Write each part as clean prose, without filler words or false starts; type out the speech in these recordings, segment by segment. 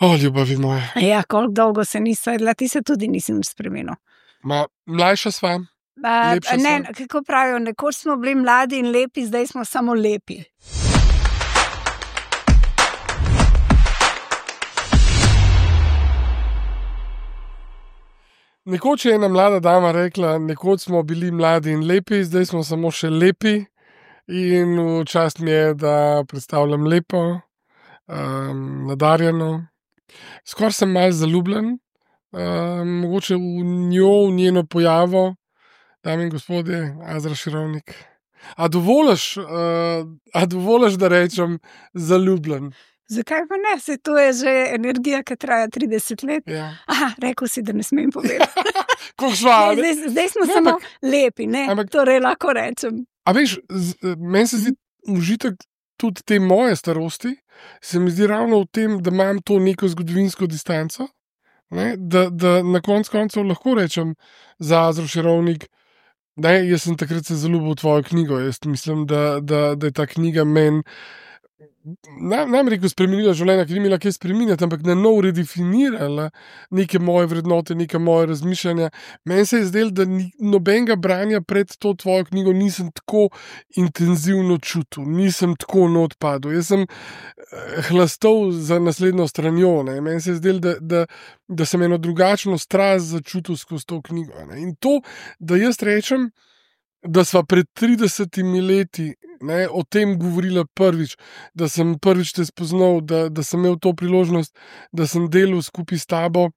O, ljubavi moja. Ja, koliko dolgo se nisva jedla, ti se tudi nisem spremenil. Mlajša sva, lepša Ne, sva. kako pravijo, nekoč smo bili mladi in lepi, zdaj smo samo lepi. Nekoč je ena mlada dama rekla, nekoč smo bili mladi in lepi, zdaj smo samo še lepi. In v čast mi je, da predstavljam lepo, nadarjeno. Skoraj sem malo zaljubljen, mogoče v njo, v njeno pojavo, dame in gospodje, Azra Širovnik. A dovoliš, da rečem zaljubljen? Zakaj pa ne? Se to je že energija, ki traja 30 let. Ja. Aha, rekel si, da ne smem povedati. Koliko sva? Zdaj smo samo lepi, ne? Torej lahko rečem. A veš, meni se zdi užitek tudi te moje starosti, se mi zdi ravno v tem, da imam to neko zgodovinsko distanco, ne? Da na koncu lahko rečem za Azro Širovnik, ne, jaz sem takrat se zaljubil v tvojo knjigo, jaz mislim, da je ta knjiga meni, nam rekel, spremenila življenja, ki ni imela kaj spreminjati, ampak na nov redefinirala neke moje vrednote, neke moje razmišljanja. Meni se je zdelo, da nobenega branja pred to tvojo knjigo nisem tako intenzivno čutil, nisem tako not padel. Jaz sem hlastal za naslednjo stranjo, ne. Meni se je zdelo, da sem eno drugačno strast začutil skozi to knjigo, ne. In to, da jaz rečem, da sva pred 30 leti, ne, o tem govorila prvič, da sem prvič te spoznal, da sem imel to priložnost, da sem delal skupaj s tabo.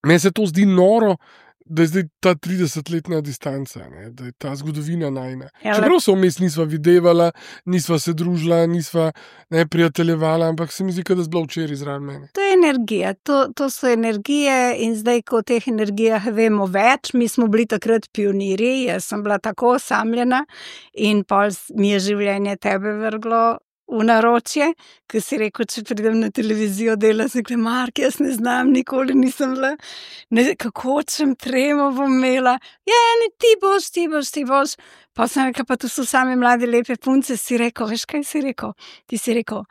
Meni se to zdi noro, da je zdaj ta 30-letna distanca, ne, da je ta zgodovina najina. Čeprav se vmes nisva videvala, nisva se družila, nisva prijateljevala, ampak se mi zdi, da je bila včeraj zraven mene. To je energija, to so energije in zdaj, ko o teh energijah vemo več, mi smo bili takrat pionirji, jaz sem bila tako osamljena in pol mi je življenje tebe vrglo v naročje, ker si rekel, če pridem na televizijo dela, se rekla, Mark, jaz ne znam, nikoli nisem bila, kako čem tremo bom imela, ne, ti boš, pa sem rekla, pa tu so same mlade lepe punce, si rekel, veš kaj si rekel? Ti si rekel,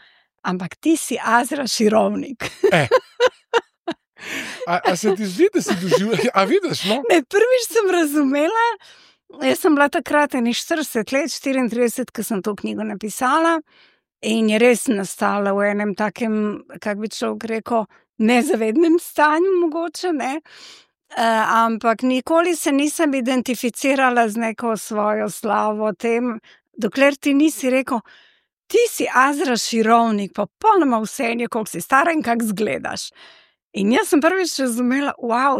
ampak ti si Azra Širovnik. A se ti zdi, da si doživela, a vidiš, no? Ne, prvič sem razumela, jaz sem bila takrat 40 let, 34, ko sem to knjigo napisala, in je res nastala v enem takem, kako bi človek rekel, nezavednem stanju mogoče, ne, ampak nikoli se nisem identificirala z neko svojo slavo tem, dokler ti nisi rekel, ti si Azra Širovnik, pa popolnoma vseeno, koliko si stara in kako izgledaš. In jaz sem prvič razumela,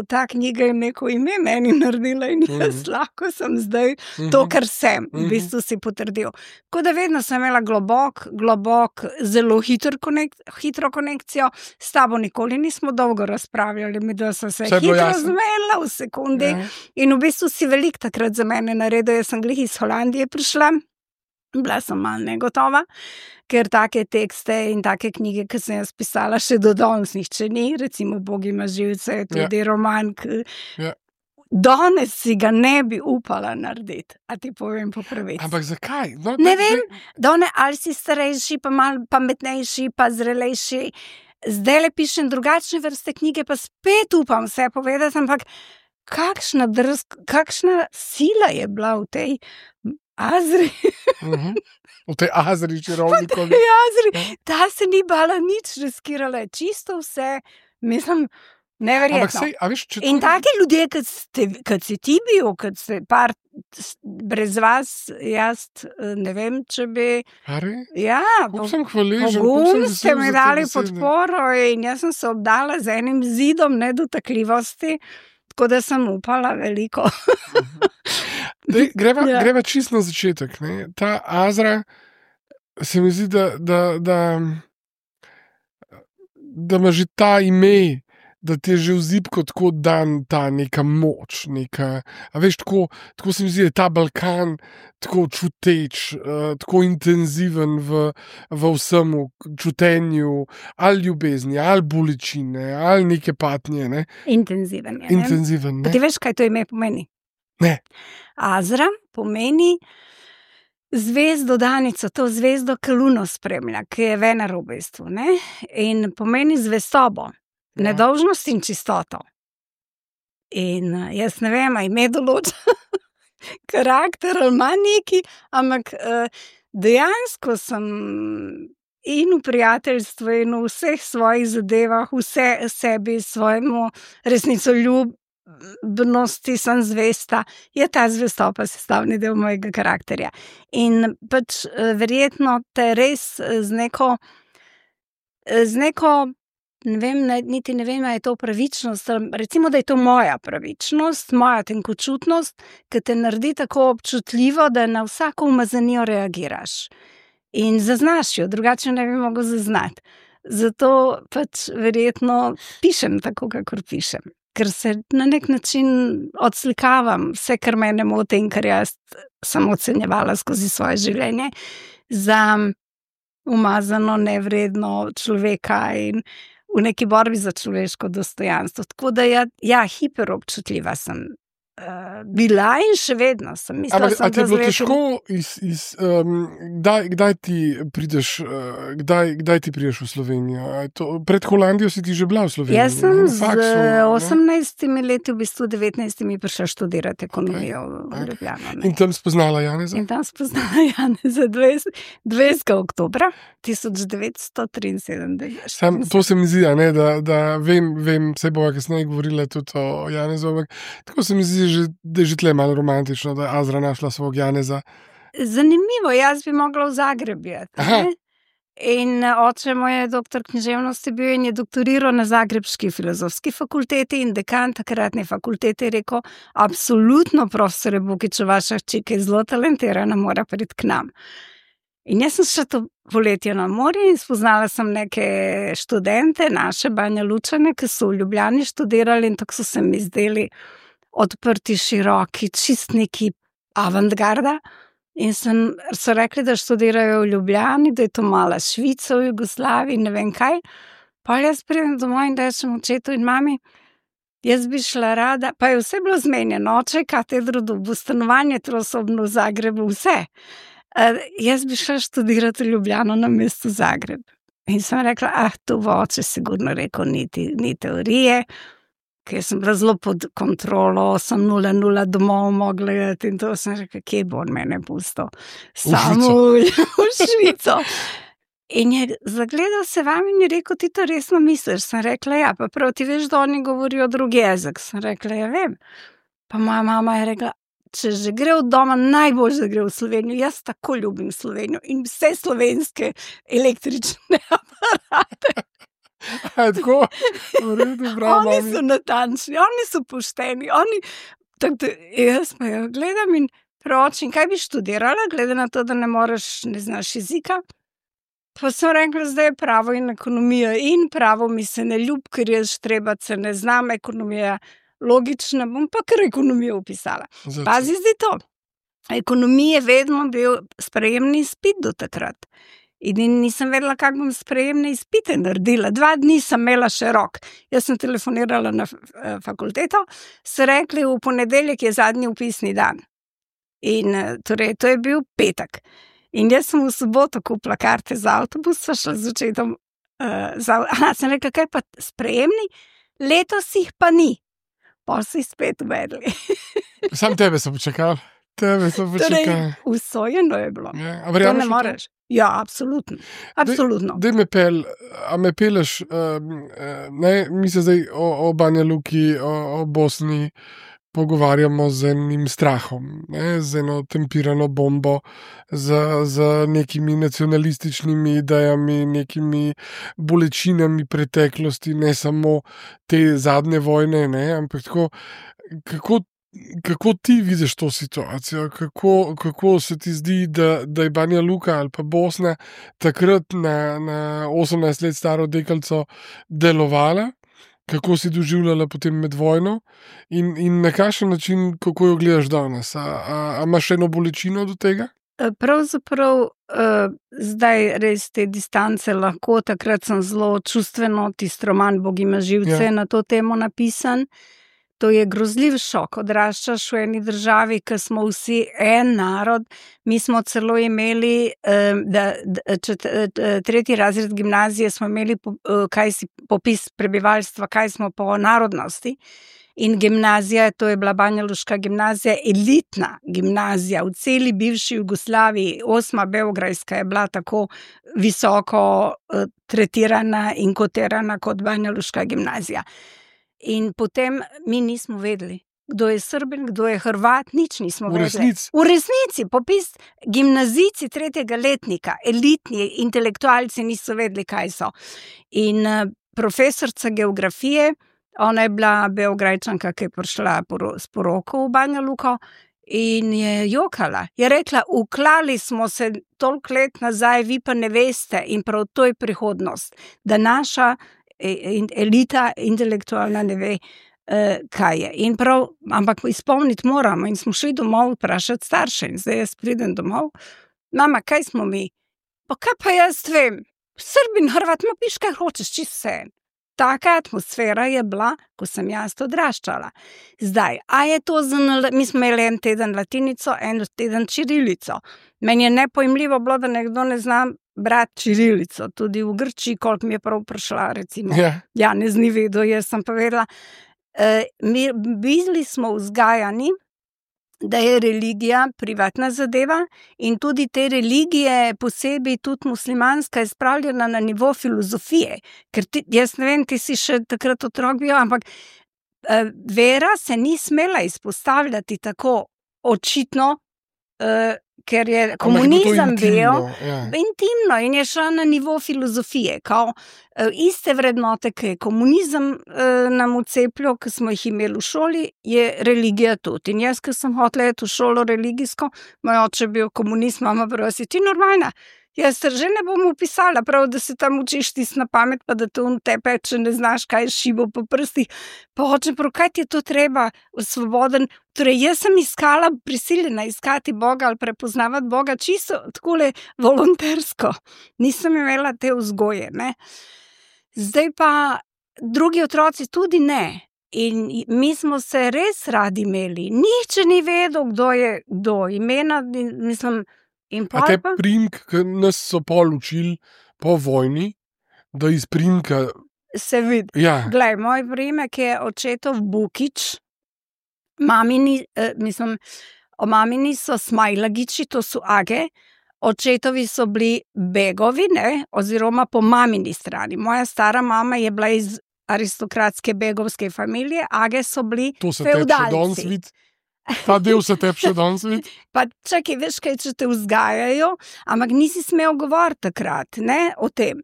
ta knjiga je neko ime meni naredila in jaz lahko sem zdaj to, kar sem, v bistvu si potrdil. Tako da vedno sem imela globok, zelo hitro konekcijo, s tabo nikoli nismo dolgo razpravljali, mi da so se hitro razumela v sekundi in v bistvu si veliko takrat za mene naredil, jaz sem glih iz Holandije prišla, bila sem malo negotova, ker take tekste in take knjige, ki sem jaz pisala, še do danes nihče ni, recimo Bog ima živce, tudi roman, ki danes si ga ne bi upala narediti, a ti povem po pravici. Ampak zakaj? Ne vem, danes ali si starejši, pa malo pametnejši, pa zrelejši, zdaj le pišem drugačne vrste knjige, pa spet upam vse povedati, ampak kakšna sila je bila v tej Azri. V tej Azri Širovnikovi. V tej Azri. Ta se ni bala nič, riskirala je čisto vse. Mislim, neverjetno. In take ljudje, kot si ti bil, kot si par brez vas, jaz ne vem, če bi... Ja, pogum ste mi dali podporo in jaz sem se obdala z enim zidom nedotakljivosti, tako da sem upala veliko. Greva čisto na začetek. Ne? Ta Azra se mi zdi, da ima že ta ime, da ti je že v zibko tako dan ta neka moč, a veš, tako se mi zdi, da je ta Balkan tako čuteč, tako intenziven v vsemu čutenju, ali ljubezni, ali bolečine, ali neke patnje. Ne? Intenziven je. Intenziven, ne? Ti veš, kaj to ime pomeni? Ne. Azra pomeni zvezdo Danico, to zvezdo, ki Luno spremlja, ki je Venera v bistvu, ne? In pomeni zvestobo, nedolžnost in čistoto. In jaz ne vem, a ime določa karakter ali ima neki, ampak dejansko sem in v prijateljstvu in v vseh svojih zadevah, vse sebi, svojemu resnicoljubnosti sem zvesta, je ta zvestoba sestavni del mojega karakterja. In pač verjetno te res z neko, ne vem, niti ne vem, a je to pravičnost, recimo, da je to moja pravičnost, moja tenkočutnost, ki te naredi tako občutljivo, da na vsako umazanijo reagiraš. In zaznaš jo, drugače ne bi mogel zaznati. Zato pač verjetno pišem tako, kakor pišem. Ker se na nek način odslikavam vse, kar mene moti in kar jaz sem ocenjevala skozi svoje življenje za umazano, nevredno človeka in v neki borbi za človeško dostojanstvo. Tako da ja, hiperobčutljiva sem bila in še vedno sem. Ampak a ti je bilo težko kdaj ti prideš, kdaj ti prideš v Slovenijo? Pred Holandijo si ti že bila v Sloveniji? Jaz sem z 18 leti, v bistvu 19 prišla študirati ekonomijo v Ljubljano. In tam spoznala Janeza? In tam spoznala Janeza 20. oktobra 1973. To se mi zdi, da vem, se bova kasneje govorila tudi o Janezu, ampak tako se mi zdi, da je že tle malo romantično, da je Azra našla svog Janeza. Zanimivo, jaz bi mogla v Zagreb biti. In oče moj je doktor književnosti bil in je doktoriral na Zagrebški filozofski fakulteti in dekan takratne fakultete je rekel, absolutno profesor Bukič, vaša hčerka je zelo talentirana, mora priti k nam. In jaz sem šla to poletje na morje in spoznala sem neke študente, naše Banja Lučane, ki so v Ljubljani študirali in tako so se mi zdeli odprti, široki, čist neki avantgarda. In so rekli, da študirajo v Ljubljani, da je to mala Švica v Jugoslaviji, ne vem kaj. Pa jaz pridem domov in rečem očetu in mami, jaz bi šla rada, pa je vse bilo zmenjeno, oče je katedro dobil, stanovanje trosobno v Zagrebu, vse. Jaz bi šla študirati v Ljubljano na mestu Zagreb. In sem rekla, to bo oče sigurno rekel, ni teorije, ker sem bila zelo pod kontrolo, sem 0-0 domov mogla gledati in to sem rekla, kje bo on mene pustil? Samo v Švico. In je zagledal se vam in je rekel, ti to resno misliš? Sem rekla, ja, pa prav ti veš, da oni govorijo drugi jezik. Sem rekla, ja vem. Pa moja mama je rekla, če že gre od doma, najbolj, da gre v Slovenijo. Jaz tako ljubim Slovenijo in vse slovenske električne aparate. Tako, v redu, bravo. Oni so natančni, oni so pošteni, jaz pa jo gledam in pročim, kaj bi študirala, glede na to, da ne moreš, ne znaš jezika. Pa sem rekla, zdaj je pravo in ekonomija in pravo mi se ne ljub, ker jaz štrebace ne znam, ekonomija logična, bom pa kar ekonomijo upisala. Pazi zdaj to, ekonomija je vedno bil sprejemni izpit do takrat. In nisem vedela, kako bom sprejemne izpite naredila. 2 dni sem imela še rok. Jaz sem telefonirala na fakulteto, so rekli, v ponedeljek je zadnji vpisni dan. In torej, to je bil petek. In jaz sem v soboto kupila karte za avtobus, sva šla z očetom. Sem rekla, kaj pa sprejemni? Letos jih pa ni. Pa so jih spet uvedli. Sam tebe so počakali. Torej, usojeno je bilo. To ne moreš. Ja, absolutno. Daj me peleš, mi se zdaj o Banja Luki, o Bosni pogovarjamo z enim strahom, z eno tempirano bombo, z nekimi nacionalističnimi idejami, nekimi bolečinami preteklosti, ne samo te zadnje vojne, ampak tako, kako ti vidiš to situacijo? Kako se ti zdi, da je Banja Luka ali pa Bosna takrat na 18 let staro deklico delovala? Kako si doživljala potem med vojno? In na kakšen način, kako jo gledaš danes? A imaš eno bolečino do tega? Pravzaprav zdaj res te distance lahko, takrat sem zelo čustveno, tisti roman Bog ima živce na to temo napisan. To je grozljiv šok. Odraščaš v eni državi, ki smo vsi en narod. Mi smo celo imeli, tretji razred gimnazije smo imeli popis prebivalstva, kaj smo po narodnosti. In gimnazija, to je bila banjaluška gimnazija, elitna gimnazija v celi bivši Jugoslaviji. 8. beograjska je bila tako visoko tretirana in kotirana kot banjaluška gimnazija. In potem mi nismo vedeli, kdo je Srbin, kdo je Hrvat, nič nismo vedeli. V resnici, popis gimnazijci 3. letnika, elitni intelektualci niso vedeli, kaj so. In profesorca geografije, ona je bila Beograjčanka, ki je prišla s poroko v Banja Luko in je jokala. Je rekla, uklali smo se toliko let nazaj, vi pa ne veste in prav to je prihodnost, da naša elita intelektualna ne ve, kaj je. In prav, ampak izpolniti moramo in smo šli domov vprašati starše in zdaj jaz pridem domov. Mama, kaj smo mi? Pa kaj pa jaz vem? Srbin, Hrvat, ma piš, kaj hočeš, čisto vse. Taka atmosfera je bila, ko sem jaz odraščala. Zdaj, a je to mi smo imeli en teden latinico, en teden čirilico. Meni je nepojmljivo bilo, da nekdo ne zna brati čirilico, tudi v Grčiji, koliko mi je prav prišla, recimo. Janez ni vedel, jaz sem povedala. Mi bili smo vzgajani, da je religija privatna zadeva in tudi te religije, posebej tudi muslimanska, je spravljena na nivo filozofije. Ker jaz ne vem, ti si še takrat otrok bil, ampak vera se ni smela izpostavljati tako očitno, ker je komunizem bil intimno in je šla na nivo filozofije, kao iste vrednote, ki je komunizem nam vcepljal, ki smo jih imeli v šoli, je religija tudi. In jaz, ki sem hotela iti v šolo religijsko, moj oče bil komunist, mama prav, si ti normalna? Jaz se že ne bom upisala, prav, da se tam učiš tisto na pamet, pa da te tepe, če ne znaš, kaj je šibo po prstih. Pa hoče, prav, kaj ti je to treba, svoboden? Torej, jaz sem prisiljena iskati Boga ali prepoznavati Boga čisto takole volontersko. Nisem imela te vzgoje, ne. Zdaj pa drugi otroci tudi ne. In mi smo se res radi imeli. Nihče ni vedel, kdo je kdo. Imena, mislim... A te primk, ki nas so pol učili po vojni, da iz primka... Se vidi. Ja. Glej, moj primek je očetov Bukič, mamini, mamini so Smajlagiči, to so Age, očetovi so bili Begovi, ne, oziroma po mamini strani. Moja stara mama je bila iz aristokratske begovske familije, Age so bili feudalci. To se tebi še danes vidi. Ta del se tebi še danes vidi. Pa čakaj, veš kaj, če te vzgajajo, ampak nisi smel govoriti takrat, ne, o tem.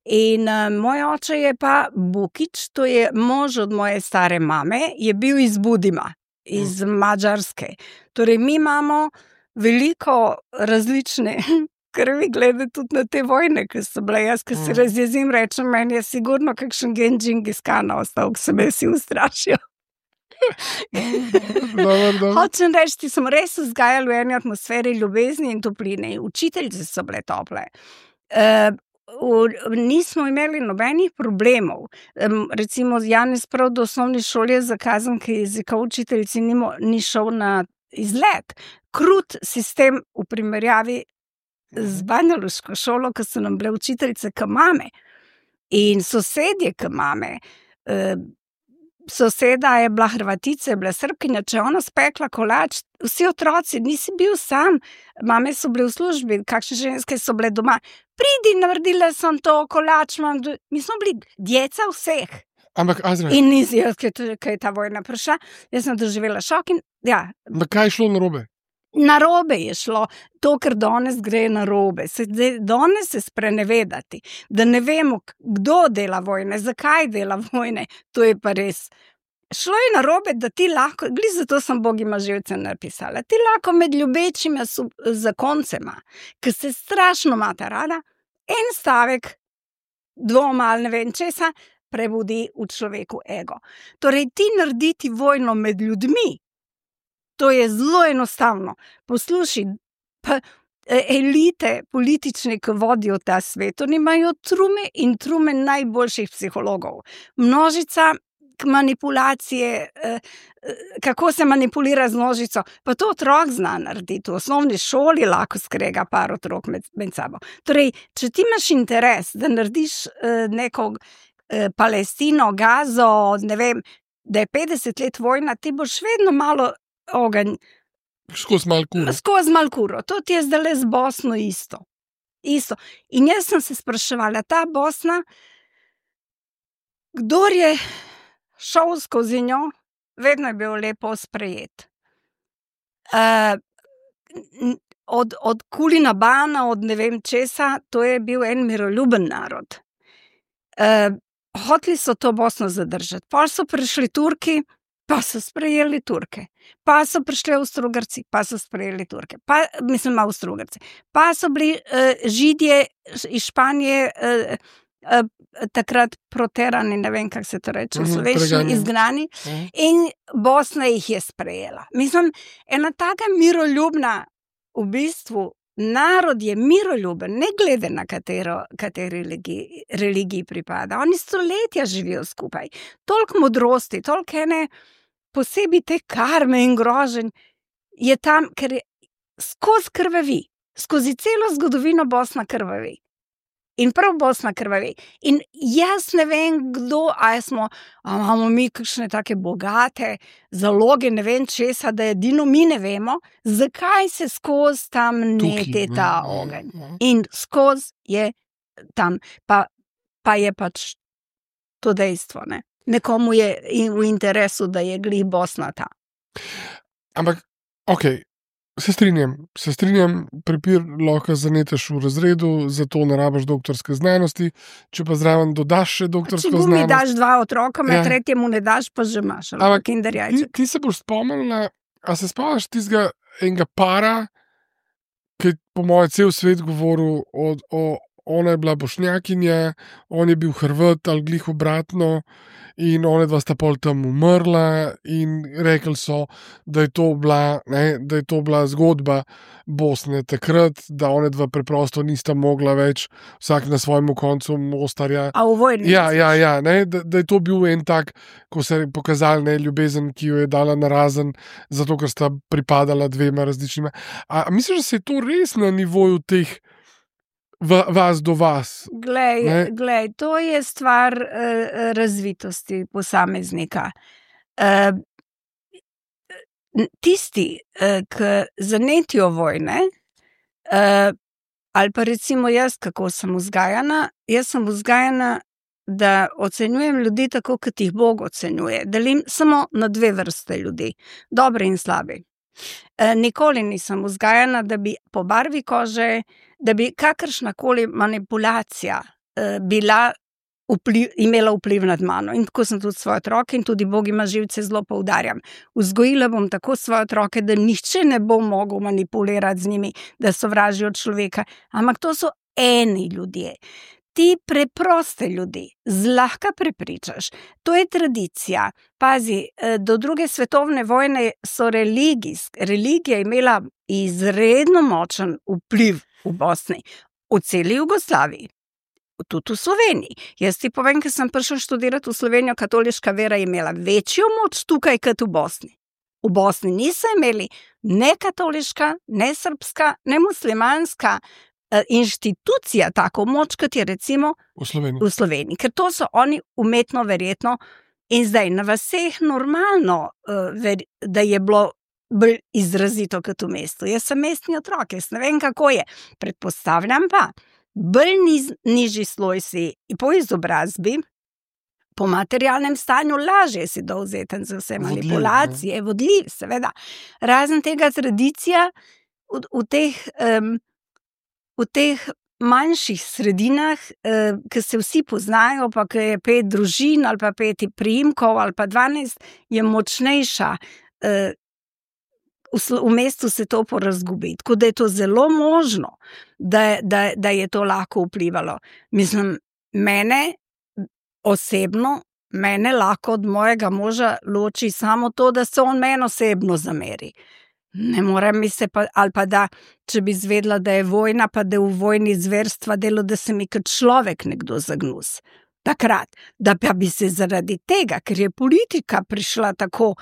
In moj oče je pa Bukič, to je mož od moje stare mame, je bil iz Budima, iz Madžarske. Torej, mi imamo veliko različne krvi glede tudi na te vojne, ki so bile. Jaz, ki se razjezim, rečem, meni je sigurno kakšen gen Džingiskana ostal, ki se me vsi ustrašijo. Hočem reči, ti smo res vzgajali v eni atmosferi ljubezni in topline. Učiteljice so bile tople. Nismo imeli nobenih problemov. Recimo Janez prav do osnovne šole je zakazan, ker jezika učiteljici ni šel na izlet. Krut sistem v primerjavi z banjaluško šolo, ko so nam bile učiteljice k mame in sosedje k mame. Soseda je bila Hrvatica, je bila Srbkinja, če ona spekla kolač, vsi otroci, nisi bil sam, mame so bile v službi, kakšne ženske so bile doma, pridi, naredila sem to, kolač, mi smo bili djeca vseh. Ampak, Azra... In nisi, kaj je ta vojna prišla, jaz sem doživela šok in, ja. Ampak kaj je šlo narobe? Narobe je šlo, to, ker danes gre narobe. Danes se sprenevedati, da ne vemo, kdo dela vojne, zakaj dela vojne, to je pa res. Šlo je narobe, da ti lahko, glih zato sem Bogima živce napisala, ti lahko med ljubečima zakoncema, ki se strašno imata rada, en stavek, dvoma ali ne vem česa, prebudi v človeku ego. Torej, ti narediti vojno med ljudmi, to je zelo enostavno. Poslušaj, pa elite politične, ki vodijo ta svet, oni imajo trume in trume najboljših psihologov. Množica, manipulacije, kako se manipulira z nožico, pa to otrok zna narediti. V osnovni šoli lahko skrega par otrok med sabo. Torej, če ti imaš interes, da narediš neko Palestino, Gazo, ne vem, da je 50 let vojna, ti boš vedno malo ogenj. Skozi malo kuro. To ti je zdaj z Bosno isto. In jaz sem se spraševala, ta Bosna, kdor je šel skozi njo, vedno je bil lepo sprejet. Od Kulina Bana, od ne vem česa, to je bil en miroljuben narod. Hoteli so to Bosno zadržati. Pa so prišli Turki, pa so sprejeli Turke. Pa so prišli Avstro-Ugrci, pa so sprejeli Turke. Avstro-Ugrci. Pa so bili Židje iz Španije takrat proterani, ne vem, kako se to reče, slovenščini, izgnani. In Bosna jih je sprejela. Mislim, ena taka miroljubna, v bistvu, narod je miroljuben, ne glede na kateri religiji pripada. Oni stoletja živijo skupaj. Toliko modrosti, toliko ene posebej te karme in groženj je tam, ker je skozi krvavi. Skozi celo zgodovino Bosna krvavi. In prav Bosna krvavi. In jaz ne vem, kdo, imamo mi kakšne take bogate zaloge, ne vem česa, da edino mi ne vemo, zakaj se skozi tam nete ta ogenj. In skozi je tam, pa je pač to dejstvo, ne. Nekomu je v interesu, da je glih Bosna ta. Ampak, okej. Se strinjam, prepir lahko zaneteš v razredu, zato ne rabiš doktorske znanosti, če pa zraven dodaš še doktorsko znanost. Če mi daš 2 otroka, tretjemu ne daš, pa že imaš. Ampak ti se boš spomnila, a se spomniš tistega enega para, ki po moje cel svet govoril, ona je bila Bošnjakinja, on je bil Hrvat ali glih obratno, in ona dva sta pol tam umrla in rekli so, da je to bila zgodba Bosne takrat, da ona dva preprosto nista mogla več vsak na svojemu koncu Mostarja. A v vojni? Ja, da je to bil en tak, ko se je pokazal ljubezen, ki jo je dala narazen, zato ker sta pripadala 2 različnima. A misliš, da se je to res na nivoju teh vas do vas? Glej, to je stvar razvitosti posameznika. Tisti, ki zanetijo vojne, ali pa recimo jaz, kako sem vzgajana, da ocenjujem ljudi tako, kot jih Bog ocenjuje. Delim samo na 2 vrste ljudi, dobre in slabi. Nikoli nisem vzgajana, da bi po barvi kože, da bi kakršnakoli manipulacija imela vpliv nad mano. In tako sem tudi svoje otroke in tudi Bog ima živce zelo poudarjam. Vzgojila bom tako svoje otroke, da nihče ne bo mogel manipulirati z njimi, da sovražijo človeka. Ampak to so eni ljudje. Ti preproste ljudi zlahka prepričaš. To je tradicija. Pazi, do 2. svetovne vojne so religija imela izredno močen vpliv v Bosni, v celi Jugoslaviji, tudi v Sloveniji. Jaz ti povem, ker sem prišel študirati v Slovenijo, katoliška vera je imela večjo moč tukaj, kot v Bosni. V Bosni niso imeli ne katoliška, ne srbska, ne muslimanska inštitucija tako moč, kot je recimo v Sloveniji. Ker to so oni umetno verjetno in zdaj na vaseh normalno, da je bilo bolj izrazito kot v mestu. Jaz sem mestni otrok, jaz ne vem, kako je. Predpostavljam pa, bolj nižji sloj si po izobrazbi, po materialnem stanju lažje si dovzeten za vse manipulacije, vodljiv, seveda. Razen tega tradicija v teh manjših sredinah, ki se vsi poznajo, pa ki je 5 družin ali pa 5 priimkov ali pa 12, je močnejša. V mestu se to porazgubi. Tako da je to zelo možno, da je to lahko vplivalo. Mislim, mene osebno, lahko od mojega moža loči samo to, da se on meni osebno zameri. Ne morem mi se pa, ali pa da, če bi izvedela, da je vojna, pa da je v vojni zverstva delo, da se mi kot človek nekdo zagnus. takrat, da pa bi se zaradi tega, ker je politika prišla tako,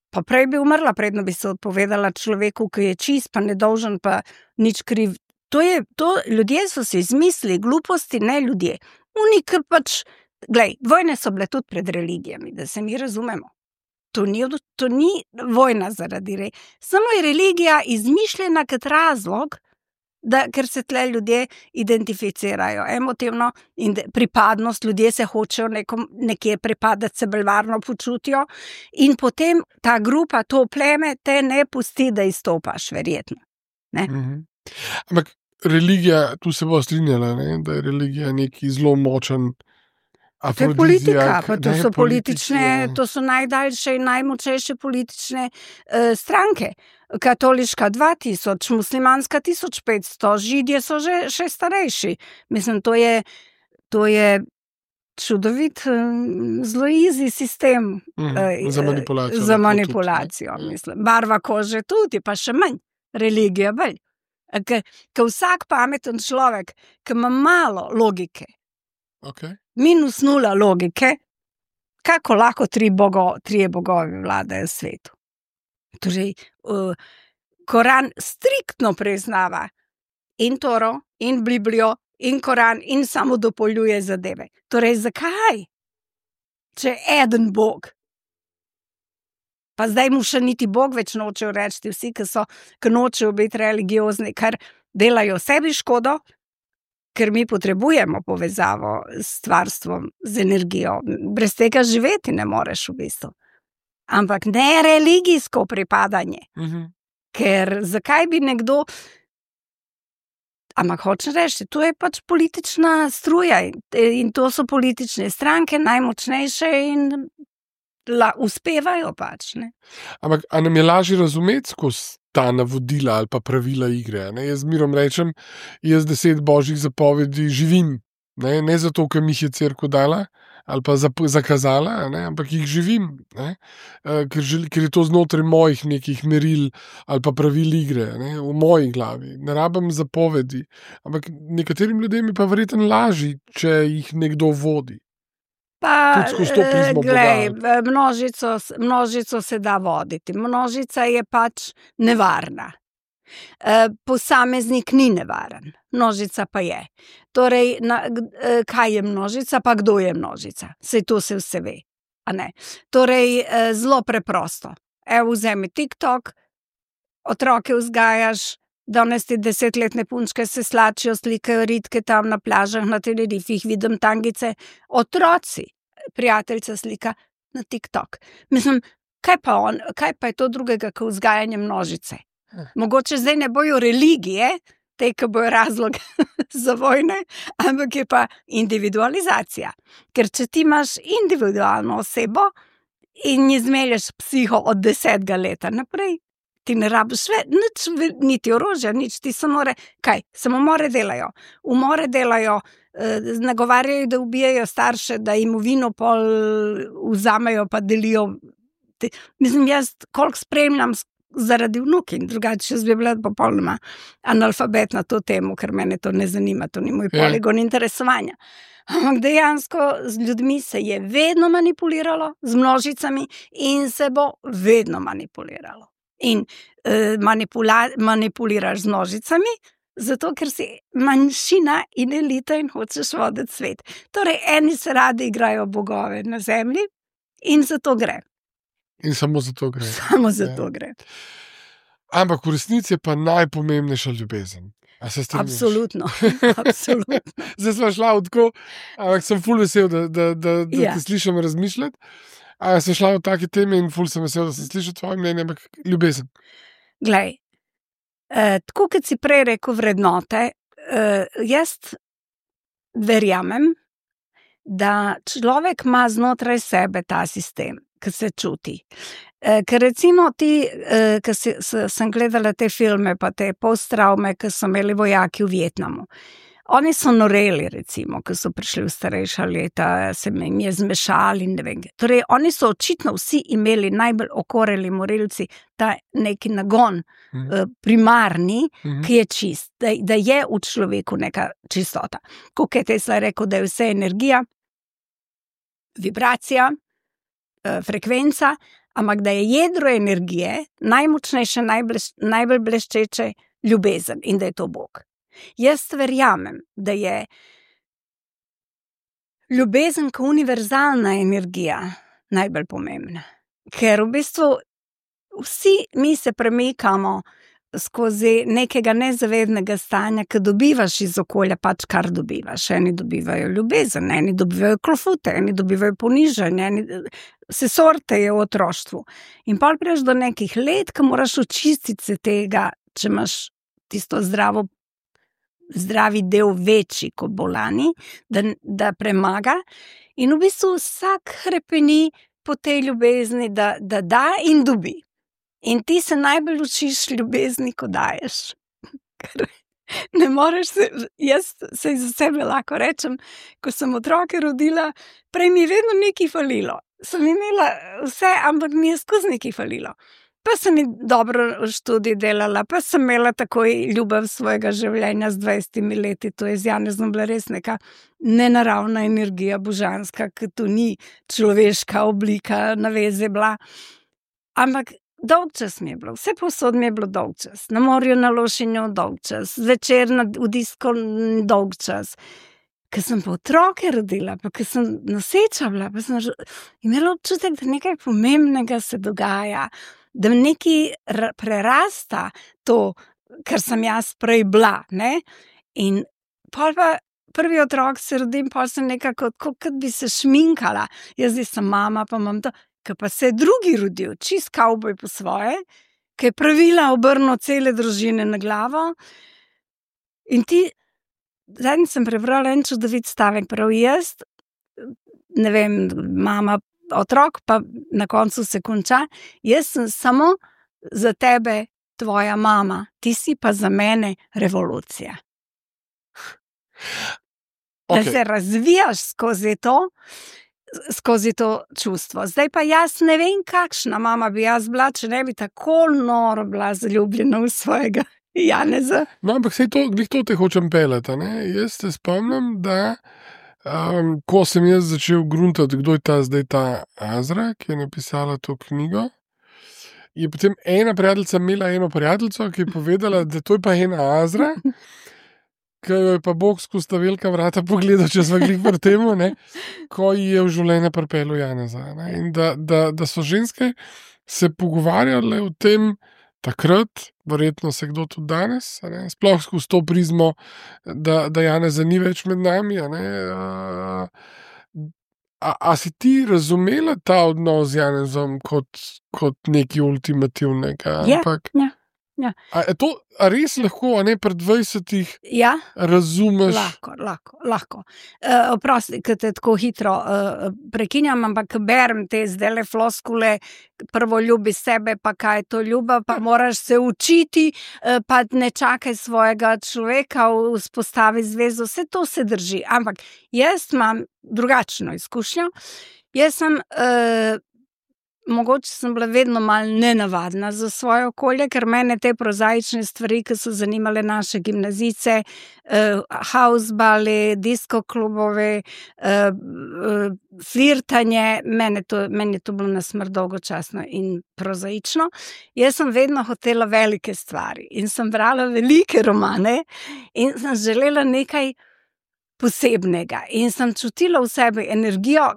pa prej bi umrla, predno bi se odpovedala človeku, ki je čist, pa nedolžen, pa nič kriv. Ljudje so se izmislili, gluposti, ne ljudje. Unik pač, vojne so bile tudi pred religijami, da se mi razumemo. To ni vojna zaradi samo je religija izmišljena kot razlog, ker se tle ljudje identificirajo emotivno in pripadnost, ljudje se hočejo nekje pripadati, se bolj varno počutijo in potem ta grupa, to pleme te ne pusti, da izstopaš, verjetno. Ampak religija, tu se bo strinjala, ne? Da je religija neki zelo močen To je politika, pa to so politične, to so najdaljše in najmočnejše politične stranke. Katoliška 2000, muslimanska 1500, židje so že še starejši. Mislim, to je čudovit, zelo easy sistem za manipulacijo. Mislim. Barva kože tudi, pa še manj, religija bolj. Ker vsak pameten človek, ki ima malo logike, minus 0 logike, kako lahko 3 bogovi vladajo svetu. Torej, Koran striktno priznava in Toro, in Biblijo, in Koran, in samo dopoljuje zadeve. Torej, zakaj? Če je eden Bog. Pa zdaj mu še niti Bog več nočejo reči, vsi, ki nočejo biti religiozni, kar delajo sebi škodo, ker mi potrebujemo povezavo s stvarstvom, z energijo. Brez tega živeti ne moreš v bistvu. Ampak ne religijsko pripadanje. Ker zakaj bi nekdo... Ampak hočem reči, to je pač politična struja in to so politične stranke, najmočnejše in uspevajo pač. Ne? Ampak a nam je lažje razumeti skozi ta navodila ali pa pravila igre? Ne? Jaz mirom rečem, jaz 10 božjih zapovedi živim. Ne zato, ker mi jih je cerkev dala ali pa zakazala, ne? Ampak jih živim. Ne? Ker je to znotraj mojih nekih meril ali pa pravil igre, ne? V moji glavi. Ne rabim zapovedi. Ampak nekaterim ljudem je pa verjetno lažje, če jih nekdo vodi. Pa, množico se da voditi. Množica je pač nevarna. Posameznik ni nevaren. Množica pa je. Torej, kaj je množica, pa kdo je množica? Sej to se vse ve. A ne? Torej, zelo preprosto. Vzemi TikTok, otroke vzgajaš, danes ti 10-letne punčke se slačijo, slikajo ritke tam na plažah, na Tenerifih, vidim tangice. Otroci, prijateljica slika na TikTok. Mislim, kaj pa je to drugega, kot vzgajanje množice? Mogoče zdaj ne bojo religije, te, ki bojo razlog za vojne, ampak je pa individualizacija. Ker če ti imaš individualno osebo in ji zmelješ psiho od 10. leta naprej, ti ne rabiš nič, niti orožja, nič, ti samomore delajo. Umore delajo, nagovarjajo, da ubijajo starše, da jim vino pol vzamejo, pa delijo. Mislim, jaz koliko spremljam zaradi vnuki, drugače jaz bi bila popolnoma analfabet na to temo, ker mene to ne zanima, to ni moj poligon interesovanja. Ampak dejansko z ljudmi se je vedno manipuliralo, z množicami in se bo vedno manipuliralo. In manipuliraš z množicami, zato ker si manjšina in elita in hočeš voditi svet. Torej, eni se radi igrajo bogove na zemlji in zato gre. In samo zato gre. Samo zato gre. Ampak v resnici je pa najpomembnejša ljubezen. A se strinjaš? Absolutno. Zdaj smo šla tako, ampak sem ful vesel, da te slišim razmišljati. Sem šla v take teme in ful sem vesel, da sem slišal tvoje mnenje, ampak ljubezen. Glej, tako kot si prej rekel vrednote, jaz verjamem, da človek ima znotraj sebe ta sistem, ki se čuti. Ker recimo ti, ki sem gledala te filme, pa te post-travme, ki so imeli vojaki v Vietnamu. Oni so noreli, recimo, ki so prišli v starejša leta, se jim je zmešali in ne vem. Torej, oni so očitno vsi imeli najbolj okoreli morilci ta neki nagon primarni, ki je čist, da je v človeku neka čistota. Kako je Tesla rekel, da je vse energija, vibracija, frekvenca, ampak da je jedro energije najmočnejše, najbolj bleščeče ljubezen in da je to Bog. Jaz verjamem, da je ljubezen kot univerzalna energija najbolj pomembna. Ker v bistvu vsi mi se premikamo skozi nekega nezavednega stanja, ki dobivaš iz okolja pač kar dobivaš. Eni dobivajo ljubezen, eni dobivajo klofute, eni dobivajo ponižanje, vse sorte je v otroštvu. In pol prideš do nekih let, ko moraš očistiti se tega, če imaš tisto zdravi del večji kot bolani, da premaga. In v bistvu vsak hrepeni po tej ljubezni, da in dobi. In ti se najbolj učiš ljubezni, ko daješ. Ker ne moreš se, jaz se za sebe lahko rečem, ko sem otroke rodila, prej mi je vedno nekaj falilo. Sem imela vse, ampak mi je skozi nekaj falilo. Pa sem dobro študij delala, pa sem imela takoj ljubev svojega življenja z 20 leti, to je z Janezom bila res neka nenaravna energija, božanska, ki to ni človeška oblika, naveze bila. Ampak dolg čas mi je bilo, vse povsod mi je bilo dolg čas. Na morju, na Lošinju dolg čas, zvečer v disko dolg čas. Ker sem pa otroke rodila, pa ker sem noseča bila, pa sem imela občutek, da nekaj pomembnega se dogaja, da nekaj prerasta to, kar sem jaz prej bila, ne? In pol pa prvi otrok se rodim, pol sem nekako, kot bi se šminkala. Jaz zdaj sem mama, pa imam to. Ker pa se je drugi rodil, čist kavboj po svoje, ki je pravila obrnil cele družine na glavo. In ti, zadnjič sem prebrala en čudovit stavek, prav jaz, ne vem, mama, otrok, pa na koncu se konča, jaz sem samo za tebe tvoja mama, ti si pa za mene revolucija. Da se razvijaš skozi to čustvo. Zdaj pa jaz ne vem, kakšna mama bi jaz bila, če ne bi tako noro bila zaljubljena v svojega Janeza. No, ampak sej to te hočem pelati, ne? Jaz se spomnim, da ko sem jaz začel gruntati, kdo je zdaj ta Azra, ki je napisala to knjigo, je potem ena prijateljica imela eno prijateljico, ki je povedala, da to je pa ena Azra, ki jo je pa Bog skozi ta velika vrata pogledal, če smo glih pri temu, ko ji je v življenje pripeljal Janeza. Ne? In da so ženske se pogovarjale o tem takrat, verjetno se kdo tudi danes, sploh skozi to prizmo, da Janeza ni več med nami. A si ti razumela ta odnos z Janezom kot nekaj ultimativnega? Ja. A res lahko, a ne pred 20-ih razumeš? Lahko. Oprosti, ker te tako hitro prekinjam, ampak berem te zdajle floskule, prvo ljubi sebe, pa kaj je to ljubav, pa moraš se učiti, pa ne čakaj svojega človeka, vzpostavi zvezo, vse to se drži. Ampak jaz imam drugačno izkušnjo. Jaz sem mogoče sem bila vedno malo nenavadna za svoje okolje, ker mene te prozaične stvari, ki so zanimale naše gimnazice, housebali, disko klubove, flirtanje, meni je to bilo na smrt dolgočasno in prozaično. Jaz sem vedno hotela velike stvari in sem brala velike romane in sem želela nekaj posebnega in sem čutila v sebi energijo,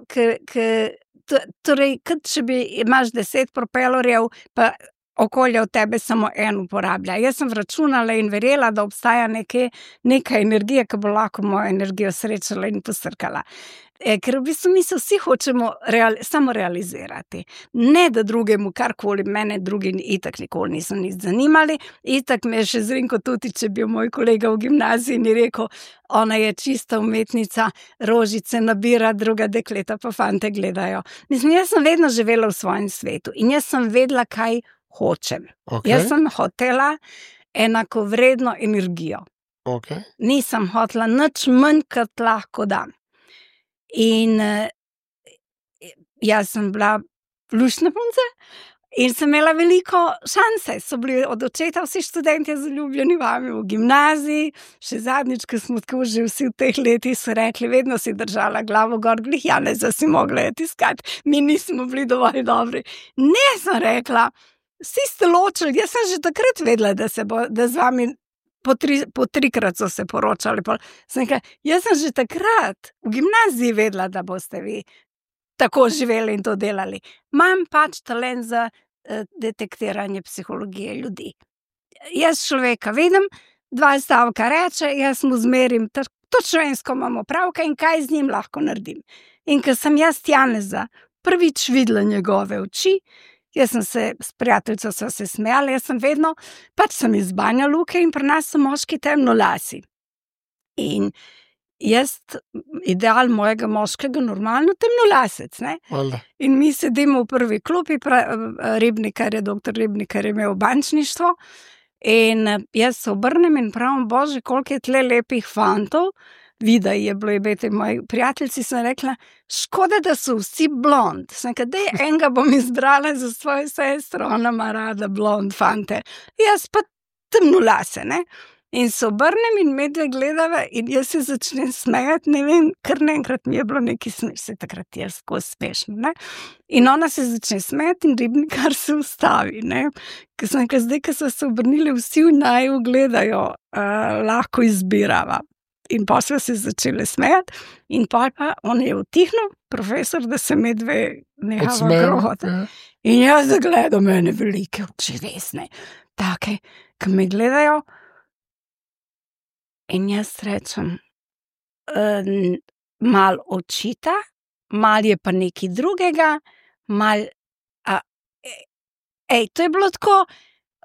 torej, kot če imaš 10 propelorjev, pa okolje od tebe samo en uporablja. Jaz sem računala in verjela, da obstaja neka energija, ki bo lahko mojo energijo srečala in posrkala. Ker v bistvu mi se vsi hočemo samo realizirati. Ne, da drugemu karkoli, mene drugi itak nikoli niso nič zanimali, itak me je še zrinko tudi, če bi moj kolega v gimnaziji ni rekel, ona je čista umetnica, rožice nabira, druga dekleta pa fante gledajo. Mislim, jaz sem vedno živela v svojem svetu in jaz sem vedela, kaj hočem. Okay. Jaz sem hotela enakovredno energijo. Okay. Nisem hotela nič manj, kot lahko dam. In jaz sem bila luštna punca In sem imela veliko šanse, so bili od očeta vsi študenti zaljubljeni vami v gimnaziji, še zadnjič, ko smo tako že vsi v teh letih so rekli, vedno si držala glavo gor, glih Janeza si mogla je tiskati, mi nismo bili dovolj dobri. Ne, sem rekla, vsi ste ločili, jaz sem že takrat vedela, da z vami po trikrat so se poročali. Sem rekla, jaz sem že takrat v gimnaziji vedela, da boste vi tako živeli in to delali. Imam pač talent za detektiranje psihologije ljudi. Jaz človeka vidim, 2 stavka reče, jaz mu zmerim, točno ensko imamo pravka in kaj z njim lahko naredim. In ko sem jaz Janeza prvič videla njegove oči, jaz sem se s prijateljico sva se smejala, jaz sem vedno, pač sem iz Banja Luke in pri nas so moški temnolasi. In jaz, ideal mojega moškega, normalno temnolasec, ne? In mi sedimo v prvi klupi, Ribnikar je, doktor Ribnikar je imel bančništvo in jaz se obrnem in pravim, bože, koliko je tle lepih fantov, vida je bilo, jebete, moji prijateljci, sem rekla, škoda, da so vsi blond. Sem rekla, dej, enega bom izbrala za svojo sestro, ona ima rada blond fante. Jaz pa temnolase, ne? In se obrnem in medve gledava in jaz se začnem smejati, ne vem, kar naenkrat mi je bilo nekaj se takrat je skozi smešno, ne. In ona se začne smejati in Ribnikar se ustavi, ne. Ker sem rekla, zdaj, ko so se obrnili vsi v naju gledajo, lahko izbirava. In pa smo se začeli smejati in pa on je utihnil, profesor, da se medve nehava grohati. In jaz zagledam mene velike oči, resne, take, ki me gledajo. In jaz rečem, mal očita, mal je pa nekaj drugega, mal, to je bilo tako,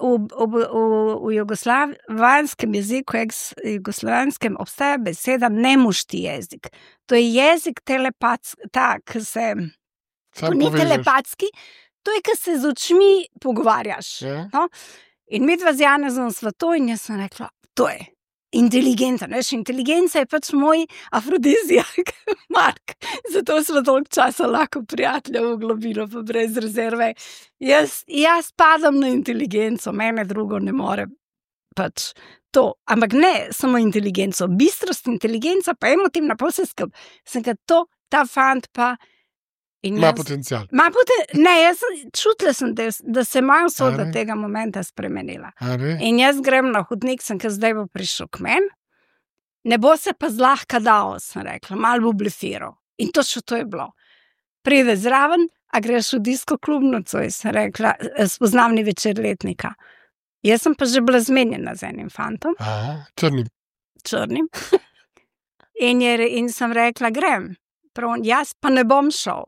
v jugoslovanskem jeziku, jugoslovanskem obstaja beseda nemušti jezik. To je jezik telepatski, ki se, ni telepatski, to je, ki se z očmi pogovarjaš. No? In midva z Janezom sva to in jaz sem rekla, to je. Inteligenca, veš, inteligenca je pač moj afrodizijak, Mark. Zato smo toliko časa lahko prijatelja v globino, pa brez rezerve. Jaz padam na inteligenco, mene drugo ne more pač to. Ampak ne samo inteligenco, bistrost, inteligenca, pa emotivna poseskab. Sem ga to, ta fant pa... Ima potencial. Ne, jaz čutila sem, da se moja usoda tega momenta spremenila. In jaz grem na hodnik, sem, ker zdaj bo prišel k meni, ne bo se pa zlahka dal, sem rekla, malo bo blefiral. In točno to je bilo. Pride zraven, a greš v disko klubnico, sem rekla, spoznavni večer letnika. Jaz sem pa že bila zmenjena z enim fantom. Črnim. In sem rekla, grem. Jaz pa ne bom šel.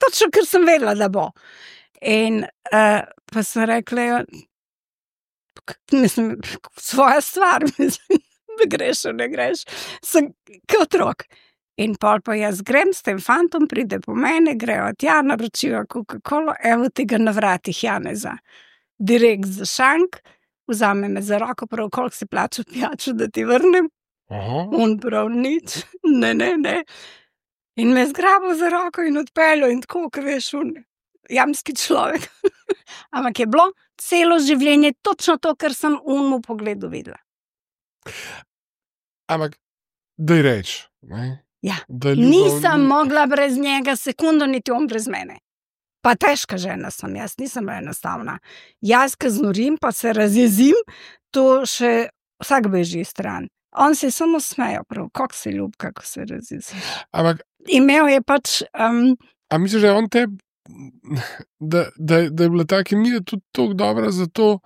Točno, ker sem vedela, da bo. In pa sem rekla, mislim, svoja stvar, mislim, da greš ali ne greš, sem kot otrok. In pol pa jaz grem s tem fantom, pride po mene, grejo tja, naročijo Coca-Colo, evo tega na vratih Janeza. Direkt za šank, vzame me za roko, prav koliko si plačal pijačo, da ti vrnem. On prav nič, ne. In me zgrabil za roko in odpeljal in tako, ko veš, jamski človek. Ampak je bilo celo življenje točno to, kar sem mu pogledu videla. Ampak, daj reč, ne? Ja, nisem mogla brez njega sekundo, niti on brez mene. Pa težka žena sem, jaz nisem enostavna. Jaz, ko znorim, pa se razjezim, to še vsak beži stran. On se samo smejo, prav, kako se ljub, kako se razjezi. Ampak imel je pač... A misliš, da je on da je bila ta kemija tudi toliko dobra zato,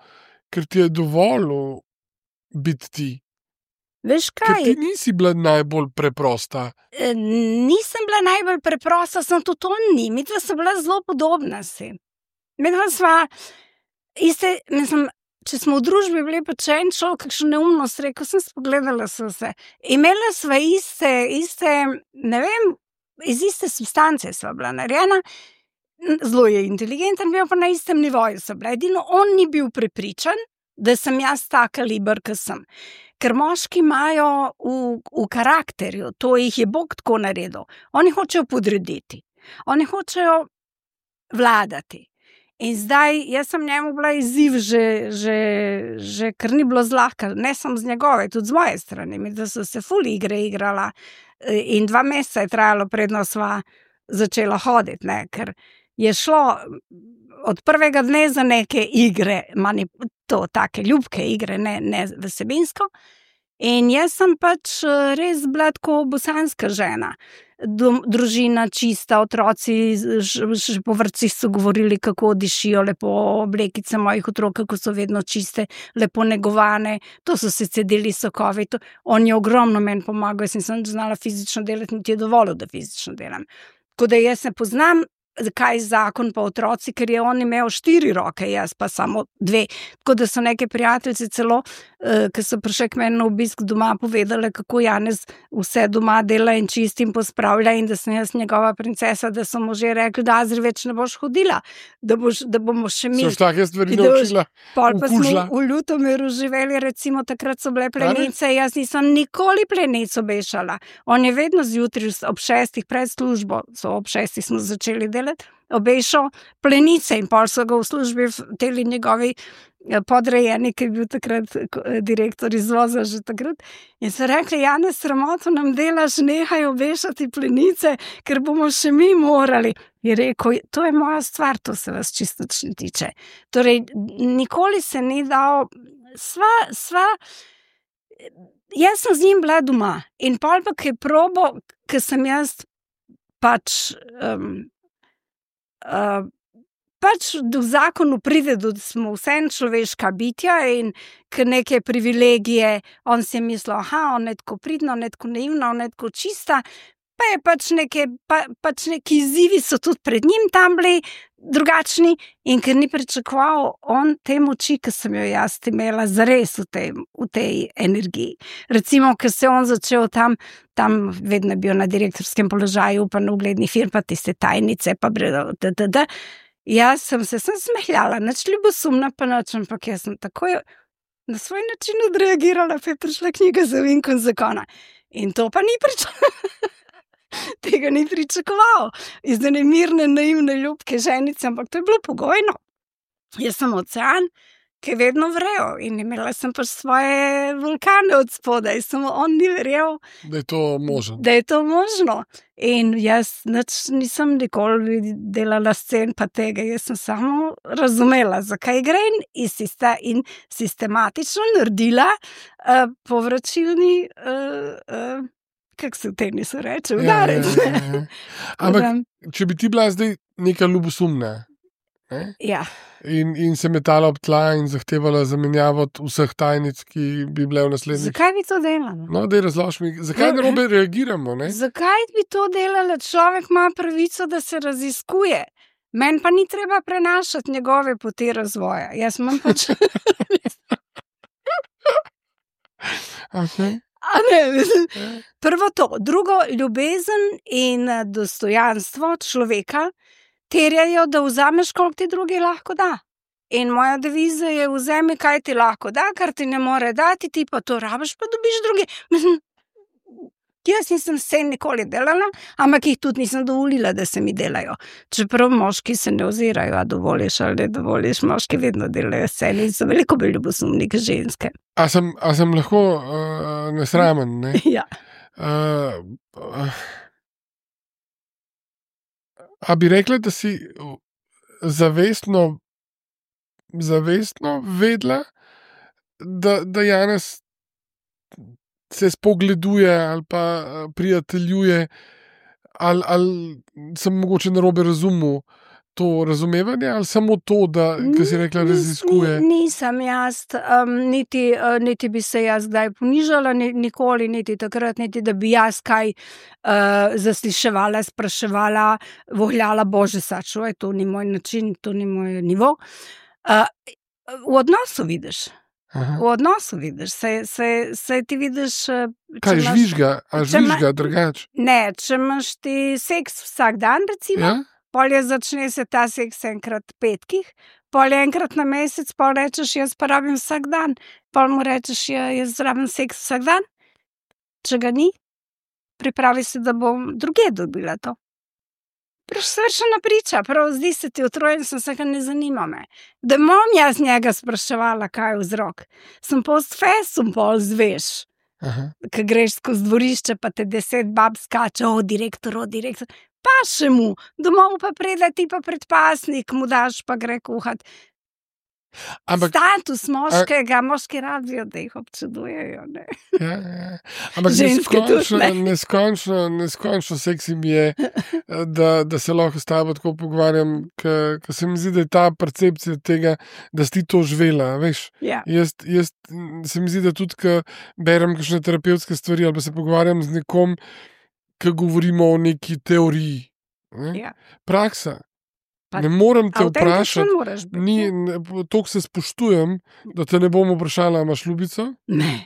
ker ti je dovolil biti ti? Veš kaj? Ker ti nisi bila najbolj preprosta. Nisem bila najbolj preprosta, sem tudi on ni. Midva so bila zelo podobna si. Midva sva iste, mislim, če smo v družbi bili pa če en človek, kakšno neumnost rekel, sem spogledala se. Imela sva iste, ne vem, iz iste substance sva bila narejena, zelo je inteligenten, bil pa na istem nivoju sva bila. Edino on ni bil prepričan, da sem jaz ta kaliber, ki sem. Ker moški imajo v karakterju, to jih je Bog tako naredil. Oni hočejo podrediti, oni hočejo vladati. In zdaj, jaz sem njemu bila izziv že ker ni bilo zlahka, ne samo z njegove, tudi z moje strani, da so se ful igre igrala in 2 meseca je trajalo, predno sva začela hoditi, ne, ker je šlo od prvega dne za neke igre, to take ljubke igre, ne vsebinsko. In jaz sem pač res bila tako bosanska žena. Družina čista, otroci že po vrtcih so govorili, kako dišijo lepo, oblekice mojih otrok, kako so vedno čiste, lepo negovane, to so se cedili sokovi, on je ogromno meni pomagal, jaz nisem znala fizično delati, niti je dovolil, da fizično delam. Tako da jaz ne poznam, kaj zakon pa otroci, ker je on imel 4 roke, jaz pa samo 2. Tako da so neke prijateljice celo, ki so prišli k meni na obisk doma, povedale, kako Janez vse doma dela in čisti in pospravlja in da sem jaz njegova princesa, da so mu že rekli, da Azri več ne boš hodila, da bomo še mi. So take stvari naučila. Pol pa smo v Ljutomeru živeli, recimo takrat so bile plenice, jaz nisem nikoli plenic obešala. On je vedno zjutraj ob 6 pred službo, ob 6 smo začeli delati, obešal plenice in pol so ga v službi teli njegovi podrejeni, ki je bil takrat direktor izvoza že takrat. In so rekli, Janez, sramoto nam delaš, nehaj obešati plenice, ker bomo še mi morali. Je rekel, to je moja stvar, to se vas čisto ne tiče. Torej, nikoli se ni dal, jaz sem z njim bila doma in pol pa, ki je probo, ker sem jaz pač v zakonu pride, da smo vseeno človeška bitja in k neke privilegije, on si je mislil, on je tako pridno, on je tako naivna, on je tako čista, pa je pač neki izzivi so tudi pred njim tam bili drugačni in ker ni pričakoval on te moči, ki sem jo jaz imela zares v tej energiji. Recimo, ker se on začel tam vedno bil na direktorskem položaju, pa na uglednih firm, pa tiste tajnice, pa jaz sem se smehljala, nič ljubosumna pa nič, ampak jaz sem takoj na svoj način odreagirala, pa je prišla knjiga za Vinko in zakona. In to pa ni tega ni pričakoval. Iz ene mirne, naivne, ljubke ženice, ampak to je bilo pogojno. Jaz sem ocean, ki je vedno vrel in imela sem pač svoje vulkane od spodaj, samo on ni verjel, da je to možno. Da je to možno. In jaz nisem nikoli delala scen pa tega, jaz sem samo razumela, zakaj gre in sistematično naredila povračilni kako se v tenisu reče, udarec. Ampak, če bi ti bila zdaj neka ljubosumna, ja. In se metala ob tla in zahtevala zamenjavo vseh tajnic, ki bi bile v naslednjih. Zakaj bi to delala? No, daj razloži mi, zakaj narobe reagiramo, ne? Zakaj bi to delala? Človek ima pravico, da se raziskuje. Meni pa ni treba prenašati njegove poti razvoja. Jaz imam pač... Okay. Prvo to, drugo, ljubezen in dostojanstvo človeka terjajo, da vzameš, koliko ti drugi lahko da. In moja deviza je, vzemi, kaj ti lahko da, kar ti ne more dati, ti pa to rabiš, pa dobiš drugi. Jaz nisem se nikoli delala, ampak jih tudi nisem dovolila, da se mi delajo. Čeprav moški se ne ozirajo, a dovoliš ali ne dovoliš, moški vedno delajo se in so veliko bolj ljubosumni kot ženske. A sem lahko nesramen, ne? Ja. A bi rekla, da si zavestno vedela, da Janez se spogleduje ali pa prijateljuje, ali sem mogoče narobe razumel to razumevanje, ali samo to, da, ki si rekla, raziskuje? Nisem jaz, niti bi se jaz kdaj ponižala, nikoli, niti takrat, niti da bi jaz kaj zasliševala, spraševala, vohljala, bože, sačuvaj, to ni moj način, to ni moj nivo. V odnosu vidiš. Aha. V odnosu vidiš, se ti vidiš... Kaj žvižga drugače? Ne, če imaš ti seks vsak dan, recimo, ja? Polje začne se ta seks enkrat petkih, polje enkrat na mesec, pol rečeš, jaz pa rabim vsak dan, pol mu rečeš, jaz rabim seks vsak dan, če ga ni, pripravi se, da bom druge dobila to. Svršena priča, prav zdi se ti utrujen, sem se ga ne zanima me. Da bom jaz njega spraševala, kaj je vzrok. Sem post festum pol zveš, ko greš skozi dvorišče, pa te 10 bab skače, direktor. Pa še mu, domov pa pride ti pa predpasnik, mu daš pa gre kuhat. Status moškega, moški radijo, da jih občudujejo. Ja. Ampak neskončno seksi mi je, da se lahko s tabo tako pogovarjam, ker se mi zdi, da je ta percepcija tega, da si ti to živela, veš. Ja. Jaz se mi zdi, da tudi, ko berem kakšne terapevtske stvari ali pa se pogovarjam z nekom, ko govorimo o neki teoriji. Ja. Praksa. Ne morem te vprašati, toliko se spoštujem, da te ne bom vprašala, imaš ljubico? Ne?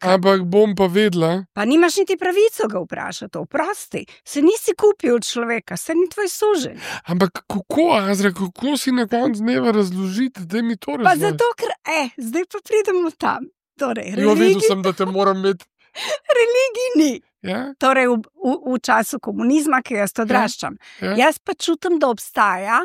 Ampak bom pa vedela. Pa nimaš niti pravico ga vprašati, oprosti. Se nisi kupil od človeka, se ni tvoj suženj. Ampak kako, Azra, kako si na koncu dneva razložiti, da mi to razloži? Pa zato, ker, zdaj pa pridemo tam. Torej, vedel sem, da te moram imeti. Religij ni. Ja? Torej, v času komunizma, ki jaz to odraščam. Ja? Jaz pa čutim, da obstaja,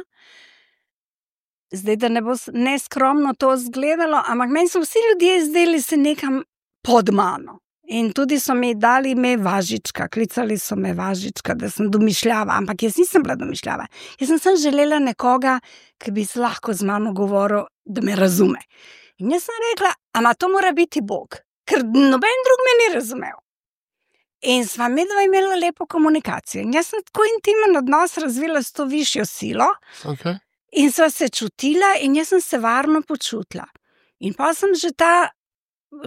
zdaj, da ne bo neskromno to izgledalo, ampak meni so vsi ljudje zdeli se nekam pod mano. In tudi so mi dali ime Važička, klicali so me Važička, da sem domišljava, ampak jaz nisem bila domišljava. Jaz sem želela nekoga, ki bi se lahko z mano govoril, da me razume. In jaz sem rekla, ama to mora biti Bog, ker noben drug me ni razumel. In sva midva imela lepo komunikacijo. In jaz sem tako intimen odnos razvila s to višjo silo. Okay. In sva se čutila in jaz sem se varno počutila. In pa sem že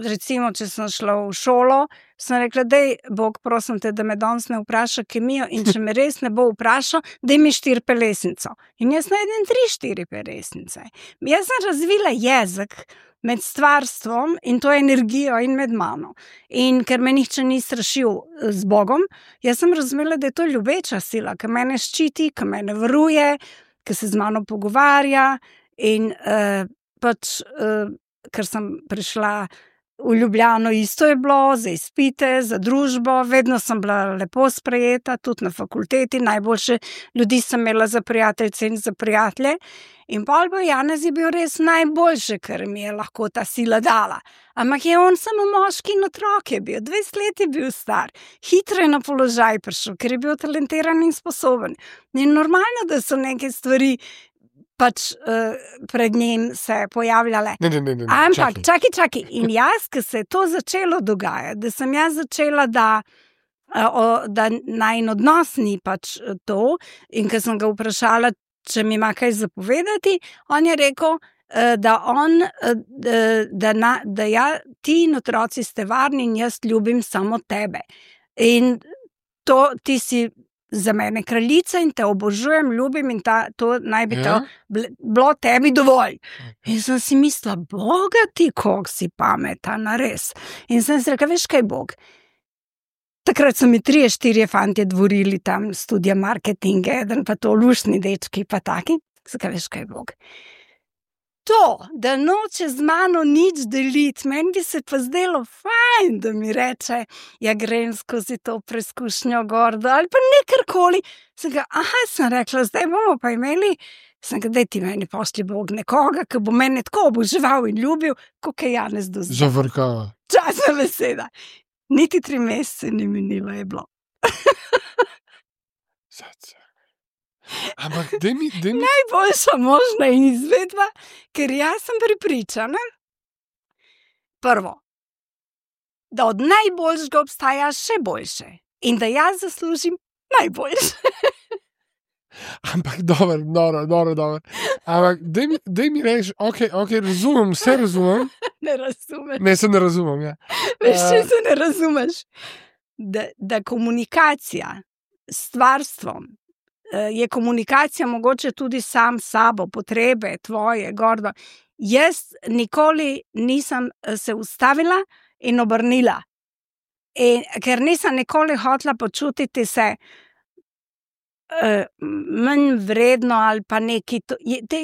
recimo, če sem šla v šolo, sem rekla, dej, Bog, prosim te, da me danes ne vpraša kemijo in če me res ne bo vprašal, daj mi 4 pelesnico. In jaz najdem 3-4 pelesnice. Jaz sem razvila jezik med stvarstvom in to energijo in med mano. In ker me nihče ni strašil z Bogom, jaz sem razumela, da je to ljubeča sila, ki mene ščiti, ki mene varuje, ki se z mano pogovarja in ker sem prišla v Ljubljano, isto je bilo, za izpite, za družbo, vedno sem bila lepo sprejeta, tudi na fakulteti, najboljše ljudi sem imela za prijateljice in za prijatelje. In pol Janez je bil res najboljše, ker mi je lahko ta sila dala. Ampak je on samo moški in otrok je bil, 20 let je bil star, hitro je na položaj prišel, ker je bil talentiran in sposoben. In normalno, da so neke stvari pred njim se pojavljale. Ne. Ampak, čakaj. In jaz, ko se je to začelo dogajati, da sem jaz začela, da najin odnos ni to, in ko sem ga vprašala, če mi ima kaj zapovedati, on je rekel, da ti in otroci ste varni in jaz ljubim samo tebe. In to ti si za mene kraljica in te obožujem, ljubim in to naj bi to bilo tebi dovolj. In sem si mislila, Boga ti, koliko si pametan, res. In sem si rekla, veš kaj, Bog? Takrat so mi 3-4 fantje dvorili tam studija marketinga, eden pa to luštni dečki pa taki. Zakaj veš kaj, Bog? To, da noče z mano nič deliti, meni bi se pa zdelo fajn, da mi reče, ja grem skozi to preizkušnjo gordo ali pa nekarkoli. Sem rekla, zdaj bomo pa imeli, daj ti meni pošlji Bog nekoga, ki bo mene tako oboževal in ljubil, kot je Janez do zdaj. Zavrkava. Časna beseda. Niti 3 mesece ni minilo, je bilo. Ampak daj mi... Najboljša možna izvedba, ker jaz sem prepričana, prvo, da od najboljšega obstaja še boljše in da jaz zaslužim najboljše. Ampak dobro. Ampak daj mi reči, ok, razumem, vse razumem. Ne razumeš. Ne, se ne razumem, ja. Veš, če se ne razumeš, da komunikacija s stvarstvom, je komunikacija mogoče tudi sam s sabo, potrebe tvoje, gordo. Jaz nikoli nisem se ustavila in obrnila, ker nisem nikoli hotela počutiti se manj vredno ali pa neki.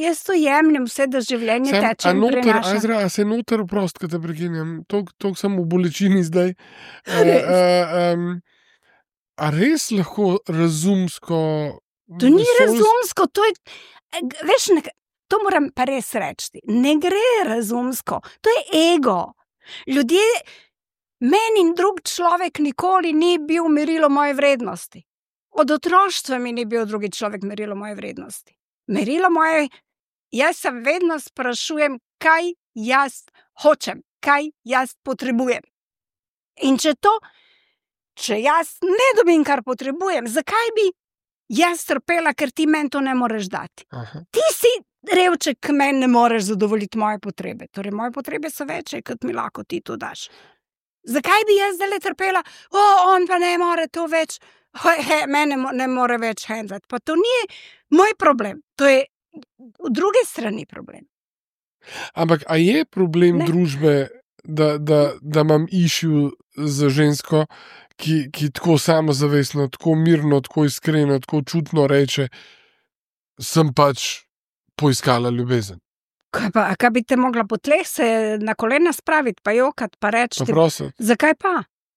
Jaz to jemljem vse, da življenje teče in prenaša. Azra, a se noter prost, ko te prekinjam, toliko sem v bolečini zdaj. A res lahko razumsko To ni razumsko, to je, veš, to moram pa res reči, ne gre razumsko, to je ego. Ljudje, meni in drug človek nikoli ni bil merilo moje vrednosti. Od otroštva mi ni bil drugi človek merilo moje vrednosti. Merilo moje, jaz se vedno sprašujem, kaj jaz hočem, kaj jaz potrebujem. In če jaz ne dobim, kar potrebujem, zakaj bi jaz trpela, ker ti meni to ne moreš dati? Aha. Ti si revček, ki meni ne moreš zadovoljiti moje potrebe. Torej, moje potrebe so večje, kot mi lahko ti to daš. Zakaj bi jaz zdaj trpela? On pa ne more to več, mene ne more več handlati. Pa to ni moj problem, to je v druge strani problem. Ampak, a je problem družbe, da imam issue z žensko, ki tako samozavestno, tako mirno, tako iskreno, tako čutno reče, sem pač poiskala ljubezen. Kaj bi te mogla po tleh se na kolena spraviti, pa jokati, pa reči, zakaj pa?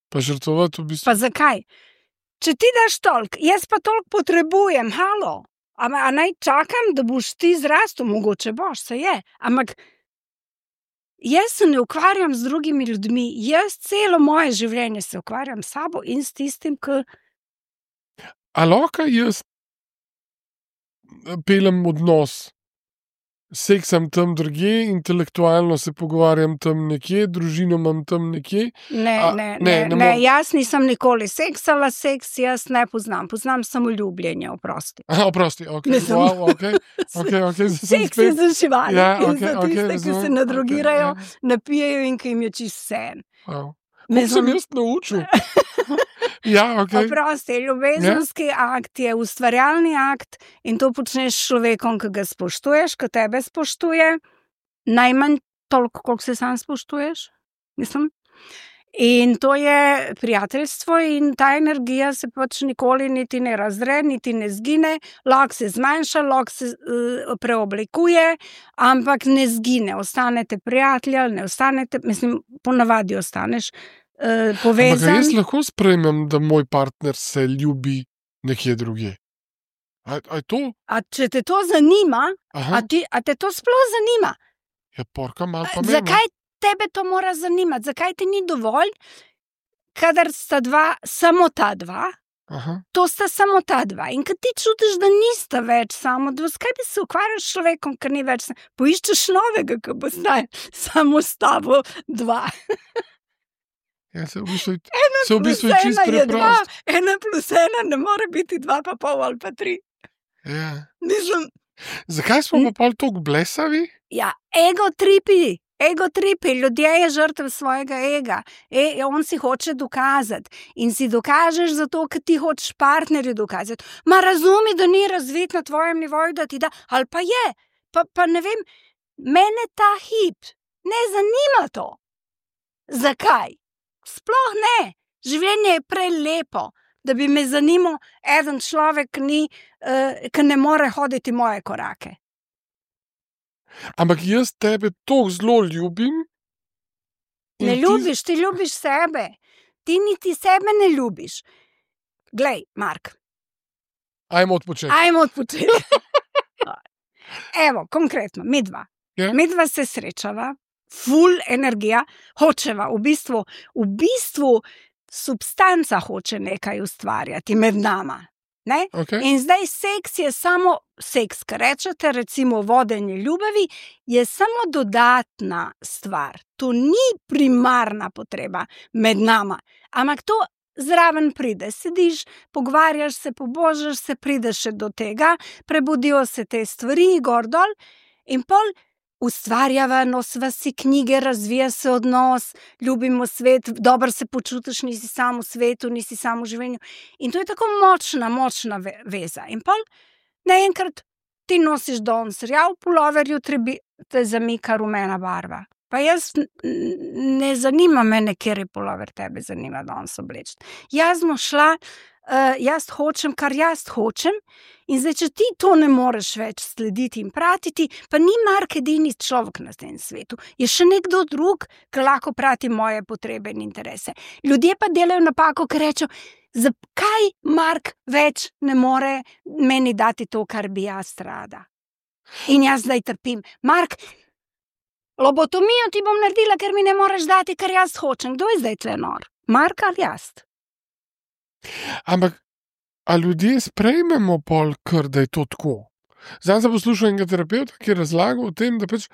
Pa žrtvovati v bistvu. Pa zakaj? Če ti daš toliko, jaz pa toliko potrebujem, halo. A naj čakam, da boš ti zrastel, mogoče boš, se je. Ampak jaz se ne ukvarjam z drugimi ljudmi, jaz celo moje življenje se ukvarjam s sabo in s tistim, ki... A lahko jaz pelem odnos, seksam tam drugje, intelektualno se pogovarjam tam nekje, družino imam tam nekje? Ne, jaz nisem nikoli seksala, seks jaz ne poznam. Poznam samo ljubljenje, oprosti. Oprosti, ok. Wow, ok. Seks je za živali. Ja, in za tiste, ki se nadrogirajo, napijejo in ki jim je čist vseeno. Wow. Sem jaz naučil. Ja, ok. Oprosti, ljubezenski akt je ustvarjalni akt in to počneš s človekom, ki ga spoštuješ, ki tebe spoštuje, najmanj toliko, koliko se sam spoštuješ. Mislim. In to je prijateljstvo in ta energija se pač nikoli niti ne razdre, niti ne zgine, lahko se zmanjša, lahko se preoblikuje, ampak ne zgine. Ostanete prijatelji ali ne ostanete, mislim, ponavadi ostaneš povezan. Ampak jaz lahko sprejmem, da moj partner se ljubi nekje drugje. A je to? A če te to zanima, a te to sploh zanima? Ja, porka malo pa mene. Zakaj tebe to mora zanimati? Zakaj ti ni dovolj, kadar sta dva, samo ta dva? Aha. To sta samo ta dva. In kad ti čutiš, da nista več samo dva, zakaj bi se ukvarjal s človekom, ker ni več, poiščeš novega, ki bo zdaj samo s tabo dva. Ja, se v bistvu je čisto preprosto. 1+1 ne more biti 2,5 ali pa 3. Ja. Mislim. Zakaj smo pa pol toliko blesavi? Ja, ego tripi, ljudje je žrtev svojega ega. On si hoče dokazati in si dokažeš zato, ker ti hočeš partnerju dokazati. Ma razumi, da ni razvit na tvojem nivoju, da ti da, ali pa je, pa ne vem, mene ta hip ne zanima to. Zakaj? Sploh ne. Življenje je prelepo, da bi me zanimal eden človek, ki ne more hoditi moje korake. Ampak jaz tebe tako zelo ljubim. Ne ljubiš, ti ljubiš sebe. Ti niti sebe ne ljubiš. Glej, Mark. Ajmo odpočeti. Evo, konkretno, midva. Ja. Midva se srečava, ful energija, hočeva, v bistvu substanca hoče nekaj ustvarjati med nama. Ne? Okay. In zdaj seks je samo seks, kar rečete, recimo vodenje ljubevi, je samo dodatna stvar. To ni primarna potreba med nama, ampak to zraven pride. Sediš, pogovarjaš se, pobožaš se, prideš še do tega, prebudijo se te stvari, gor dol in pol ustvarjava, nosiva si knjige, razvija se odnos, ljubimo svet, dobro se počutiš, nisi sam v svetu, nisi sam v življenju. In to je tako močna veza. In pol naenkrat ti nosiš danes rjav pulover, jutri te zamika rumena barva. Pa jaz ne zanima mene, kjer je pulover tebe zanima danes obleči. Jaz smo šla, jaz hočem, kar jaz hočem, in zdaj, če ti to ne moreš več slediti in pratiti, pa ni Mark edini človek na tem svetu. Je še nekdo drug, ki lahko prati moje potrebe in interese. Ljudje pa delajo napako, ker rečejo, Zakaj Mark več ne more meni dati to, kar bi jaz rada? In jaz zdaj trpim. Mark, lobotomijo ti bom naredila, ker mi ne moreš dati, kar jaz hočem. Kdo je zdaj tle nor? Mark ali jaz? Ampak, a ljudje sprejmemo pol, kar da je to tako? Zdaj sem poslušal enega terapeuta, ki je razlagal o tem, da pač,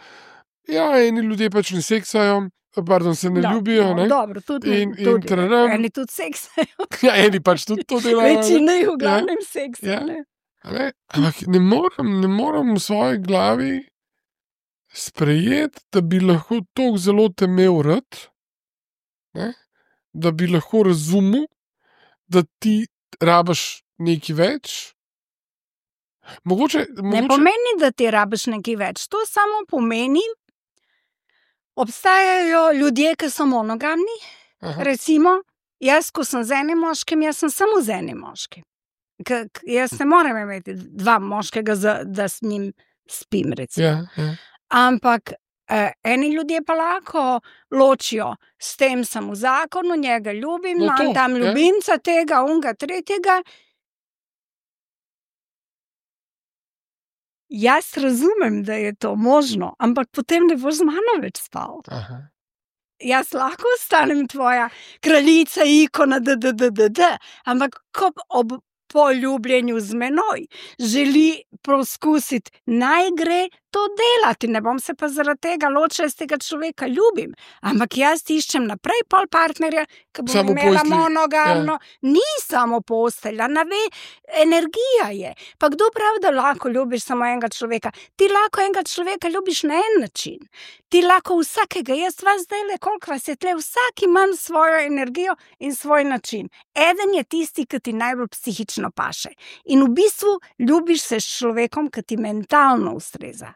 eni ljudje pač ne seksajo, se ne ljubijo, ne? Dobro, tudi eni tudi seksajo. Eni pač tudi to delajo. Večina jih v glavnem seksajo, ne? Ampak ne morem v svoji glavi sprejeti, da bi lahko toliko zelo te imel rad, ne? Da bi lahko razumel, da ti rabiš nekaj več. Ne pomeni, da ti rabiš nekaj več. To samo pomeni, obstajajo ljudje, ki so monogamni. Aha. Recimo, jaz, ko sem z enim moškim, jaz sem samo z enim moškim. Jaz ne morem imeti dva moškega, da s njim spim, recimo. Ja. Ampak eni ljudje pa lahko ločijo, s tem sem v zakonu, njega ljubim, imam tam ljubimca tega, unga, tretjega. Jaz razumem, da je to možno, ampak potem ne boš z mano več spal. Aha. Jaz lahko ostanem tvoja kraljica, ikona, ampak ko ob poljubljenju z menoj želi poskusiti, naj gre to delati. Ne bom se pa zaradi tega ločila, s tega človeka ljubim. Ampak jaz iščem naprej pol partnerja, ki bo imela monogamno. Ni samo postelja, energija je. Pa kdo pravi, da lahko ljubiš samo enega človeka? Ti lahko enega človeka ljubiš na en način. Ti lahko vsakega, jaz vas zdajle, koliko vas je tle, vsak imam svojo energijo in svoj način. Eden je tisti, ki ti najbolj psihično paše. In v bistvu ljubiš se s človekom, ki ti mentalno ustreza.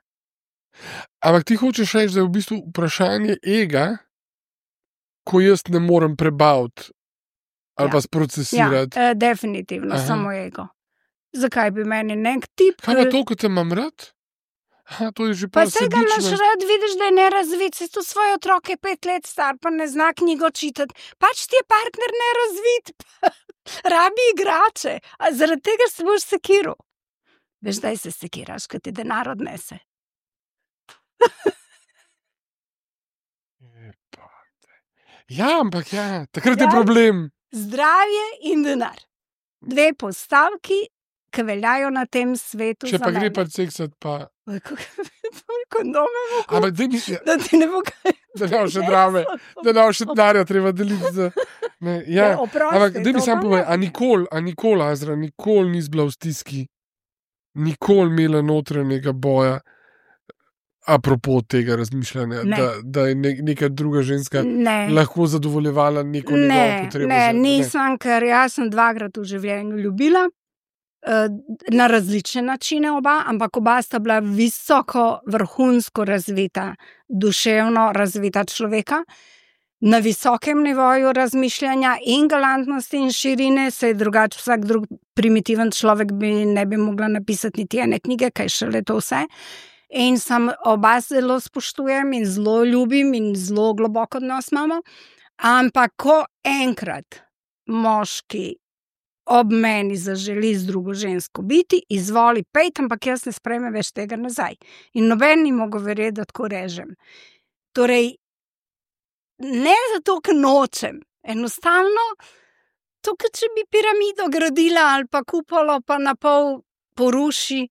Ampak ti hočeš reči, da je v bistvu vprašanje ega, ko jaz ne morem prebaviti ali pa sprocesirati. Ja, definitivno, samo ego. Zakaj bi meni nek tip? Kaj pa to, ko te imam rad? To je že pa vsega imaš rad, vidiš, da je nerazvit, si tu svoje otroke 5 let star, pa ne zna knjigo čitati. Pač ti je partner nerazvit, rabi igrače, a zaradi tega se boš sekiral. Veš, daj se sekiraš, ko ti denar odnese. Ampak takrat je problem. Zdravje in denar. 2 postavki, ki veljajo na tem svetu. Če pa gre pa seksati, pa... Kondome mogo. Ampak da misli... Da ti ne bo kaj... Da ne bo še drame, da ne bo še denarja treba deliti za... Ampak da mi sam povej, a nikoli, Azra, nikoli nis bila v stiski, nikoli imela notranjega boja, apropo tega razmišljanja, da je neka druga ženska lahko zadovoljevala neko njegovo potrebo. Nisem, ker jaz sem 2-krat v življenju ljubila, na različne načine oba, ampak oba sta bila visoko, vrhunsko razvita, duševno razvita človeka, na visokem nivoju razmišljanja in galantnosti in širine, se je drugače vsak drug primitiven človek ne bi mogla napisati niti ene knjige, kaj šele to vse. In sem oba zelo spoštujem in zelo ljubim in zelo globoko odnos imamo, ampak ko enkrat moški ob meni zaželi z drugo žensko biti, izvoli pejt, ampak jaz ne sprejmem več tega nazaj. In noben ni mogel verjeti, da tako režem. Torej, ne zato, ker nočem, enostavno, to, ker če bi piramido gradila ali pa kupolo pa na pol poruši,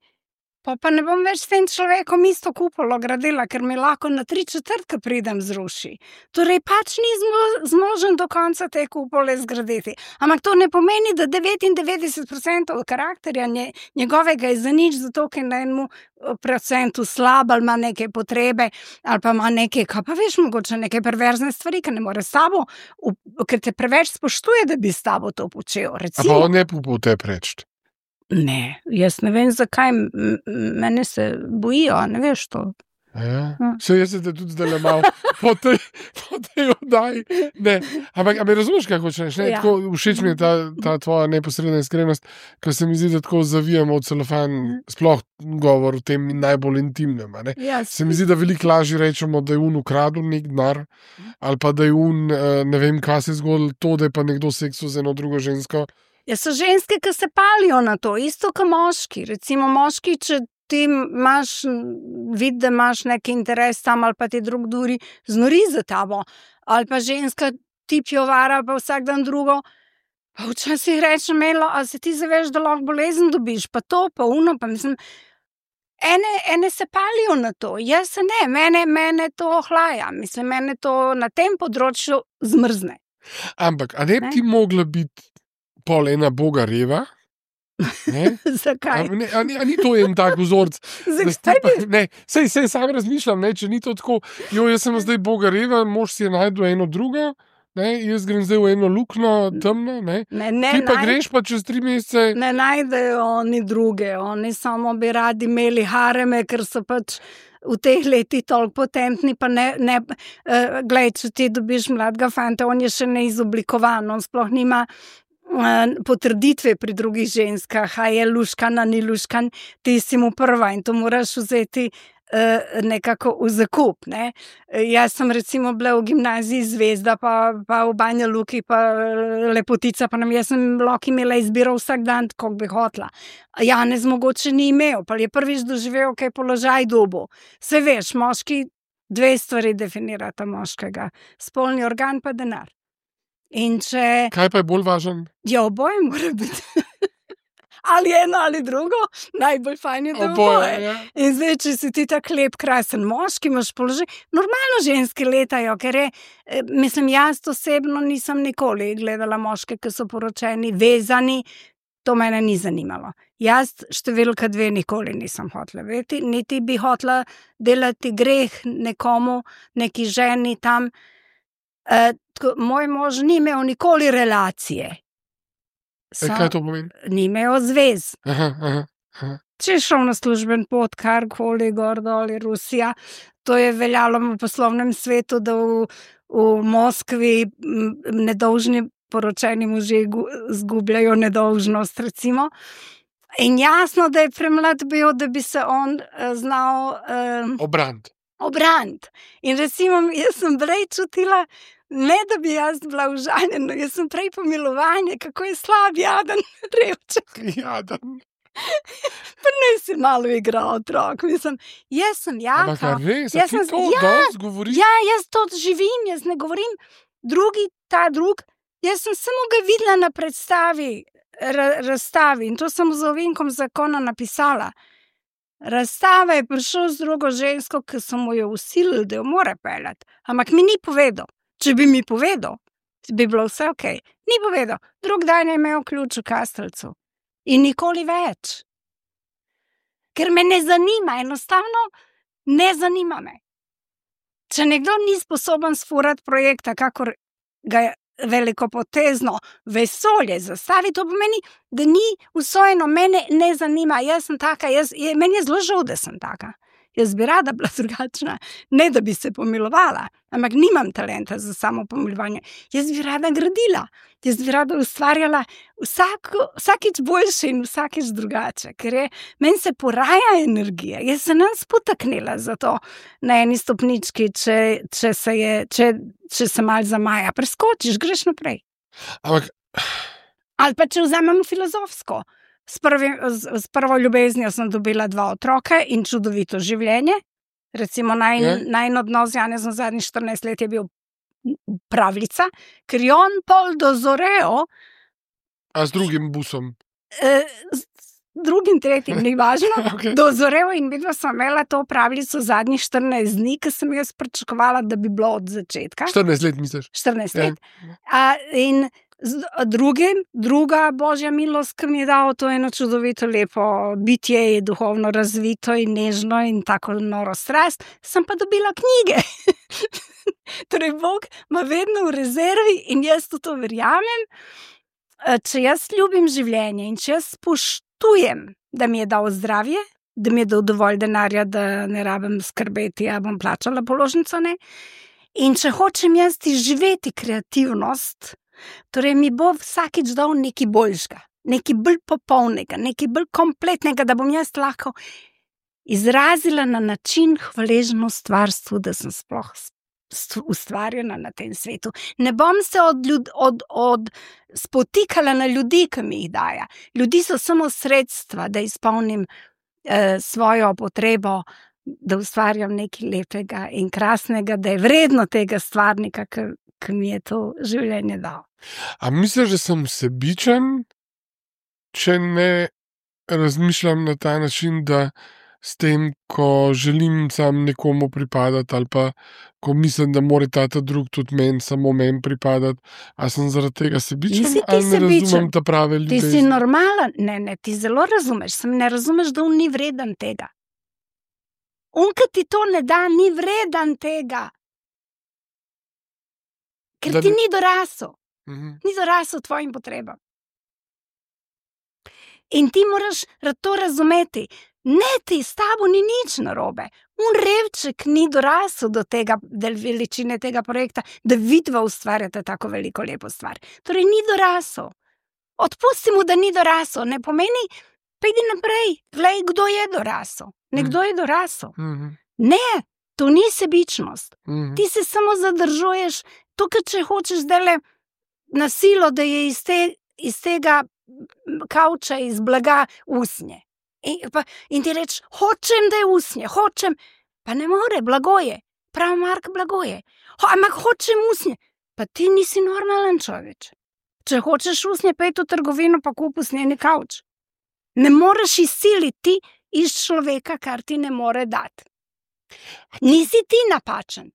pa ne bom več s tem človekom isto kupolo gradila, ker mi lahko na 3/4 pridem zruši. Torej, pač ni zmožen do konca te kupole zgraditi. Ampak to ne pomeni, da 99% karakterja njegovega je za nič, zato ker na 1% slab ali ima neke potrebe, ali pa ima neke, kaj pa veš, mogoče neke perverzne stvari, ker ne more s tabo, ker te preveč spoštuje, da bi s tabo to počel. Recimo. A pa on ne po te preč? Ne, jaz ne vem, zakaj mene se bojijo, ne veš to. Vse jaz se te tudi zdaj malo po tej oddaji. Ampak me razumeš, kako hočeš? Ja. Všeč mi je ta tvoja neposredna iskrenost, ker se mi zdi, da tako zavijamo v celofan, sploh govor o tem najbolj intimnem. Se mi zdi, da veliko lažje rečemo, da je ukradel nek denar, ali pa da je ne vem, kaj se je zgodilo, to, da je pa nekdo seksil z eno drugo žensko. Ja, so ženske, ki se palijo na to, isto kot moški. Recimo moški, če ti imaš vid, da imaš neki interes tam, ali pa ti drug duri, znori za tabo. Ali pa ženska ti pjovara, pa vsak dan drugo. Pa včasih rečem, Melo, a se ti zaveš, da lahko bolezen dobiš, pa to, pa uno, pa mislim, ene se palijo na to, jaz se ne, mene to ohlaja, mislim, mene to na tem področju zmrzne. Ampak, a ne bi ti mogla biti pol ena boga reva? Zakaj? A ni to en tak vzorc? Sej sam razmišljam, če ni to tako, jaz sem zdaj boga reva, mož si je najdel eno drugo, jaz grem zdaj v eno lukno, temno, ti pa greš pa čez 3 mesece. Ne najdejo oni druge, oni samo bi radi imeli hareme, ker so pač v teh letih toliko potentni, pa glej, če ti dobiš mladega fanta, on je še neizoblikovan, on sploh nima potrditve pri drugih ženskah, a je luškan, a ni luškan, ti si mu prva in to moraš vzeti nekako v zakup. Jaz sem recimo bila v gimnaziji Zvezda, pa v Banja Luki, pa Lepotica, pa jaz sem lahko imela izbiro vsak dan, kako bi hotla. Janez mogoče ni imel, pa je prvič doživel, kaj položaj dobo. Se veš, moški 2 stvari definirata moškega, spolni organ pa denar. Kaj pa je bolj važen? Ja, oboje mora biti. Ali eno ali drugo, najbolj fajn je, da oboje. Ja. In zdaj, če si ti tak lep, krasen moški, imaš položaj, normalno ženske letajo, ker mislim, jaz osebno nisem nikoli gledala moške, ki so poročeni, vezani, to mene ni zanimalo. Jaz številka 2 nikoli nisem hotela vedeti, niti bi hotela delati greh nekomu, neki ženi tam. Moj mož ni imel nikoli relacije. Kaj to pomeni? Ni imel zvez. Aha. Če je šel na služben pot, karkoli, gor, dol, Rusija, to je veljalo v poslovnem svetu, da v Moskvi nedolžni poročeni možje zgubljajo nedolžnost, recimo. In jasno, da je premlad bil, da bi se on znal obrant. In recimo, jaz sem prej čutila, ne da bi jaz bila užaljena, jaz sem prej pomilovanje, kako je slab, jaden, revček. Jaden. Pa ne si malo igral otrok, mislim, jaz sem jaka. Ampak res, a ti to danes govoriš? Ja, jaz to živim, jaz ne govorim ta drug, jaz sem samo ga videla na predstavi, razstavi in to sem z ovinkom zakona napisala. Razstava je prišel z drugo žensko, ki so mu jo vsilili, da jo mora peljati. Ampak mi ni povedal. Če bi mi povedal, bi bilo vse okej. Ni povedal. Drug dan je imel ključ v kastelcu. In nikoli več. Ker me ne zanima, enostavno ne zanima me. Če nekdo ni sposoben sfurati projekta, kakor ga je velikopotezno vesolje zastavi, to pomeni, da ni usvojeno, mene ne zanima, jaz sem taka, meni je zelo žal, da sem taka. Jaz bi rada bila drugačna, ne da bi se pomilovala, ampak nimam talenta za samo pomilovanje. Jaz bi rada gradila, jaz bi rada ustvarjala vsakič boljše in vsakič drugače, ker meni se poraja energija, jaz se nam spotaknila za to na eni stopnički, če se malo zamaja, preskočiš, greš naprej. Ampak... Ali pa če vzamemo filozofsko. S prvo ljubeznijo sem dobila 2 otroke in čudovito življenje. Recimo najin odnos z Janezom zadnjih 14 let je bil pravljica, ker je on pol dozorel. A z drugim busom? Z drugim, tretjim, ni važno. Okay. Dozorel in videla sem imela to pravljico zadnjih 14 dni, ki sem jaz pričakovala, da bi bilo od začetka. 14 let misliš? 14 let. In druga božja milost, ki mi je dala to eno čudovito lepo bitje, je duhovno razvito in nežno in tako noro strast, sem pa dobila knjige. Torej, Bog ima vedno v rezervi in jaz to verjamem. Če jaz ljubim življenje in če jaz spoštujem, da mi je dal zdravje, da mi je dal dovolj denarja, da ne rabim skrbeti, ja bom plačala položnico, ne. In če hočem jaz živeti kreativnost, torej mi bo vsakič dal nekaj boljšega, nekaj bolj popolnega, nekaj bolj kompletnega, da bom jaz lahko izrazila na način hvaležno stvarstvu, da sem sploh ustvarjena na tem svetu. Ne bom se spotikala na ljudi, ki mi jih daja. Ljudi so samo sredstva, da izpolnim svojo potrebo, da ustvarjam nekaj lepega in krasnega, da je vredno tega stvarnika, ki mi je to življenje dal. A misliš, da sem sebičen, če ne razmišljam na ta način, da s tem, ko želim sam nekomu pripadati, ali pa ko mislim, da mora ta drug tudi meni, samo meni pripadati, a sem zaradi tega sebičen, ali ne razumem ta prave ljudi? Ti si normalen, ne, ti zelo razumeš, samo ne razumeš, da on ni vreden tega. On, ki ti to ne da, ni vreden tega. Ker ti ni dorasel. Ni dorasel tvojim potrebam. In ti moraš to razumeti. Ne, ti s tabo ni nič narobe. Un revček ni dorasel do tega, del veličine tega projekta, da vidva ustvarjate tako veliko lepo stvar. Torej, ni dorasel. Odpusti mu, da ni dorasel. Ne pomeni, pejdi naprej, glej, kdo je dorasel. Nekdo je dorasel. Ne, to ni sebičnost. Ti se samo zadržuješ, tukaj, če hočeš dele na silo, da je iz tega kavča, iz blaga usnje. In ti reč, hočem, da je usnje, hočem, pa ne more, blago je, prav Mark, blago je. Ampak hočem usnje, pa ti nisi normalen človeč. Če hočeš usnje, pej v trgovino, pa kup usnjeni kavč. Ne moreš izsiliti iz človeka, kar ti ne more dati. Nisi ti napačen,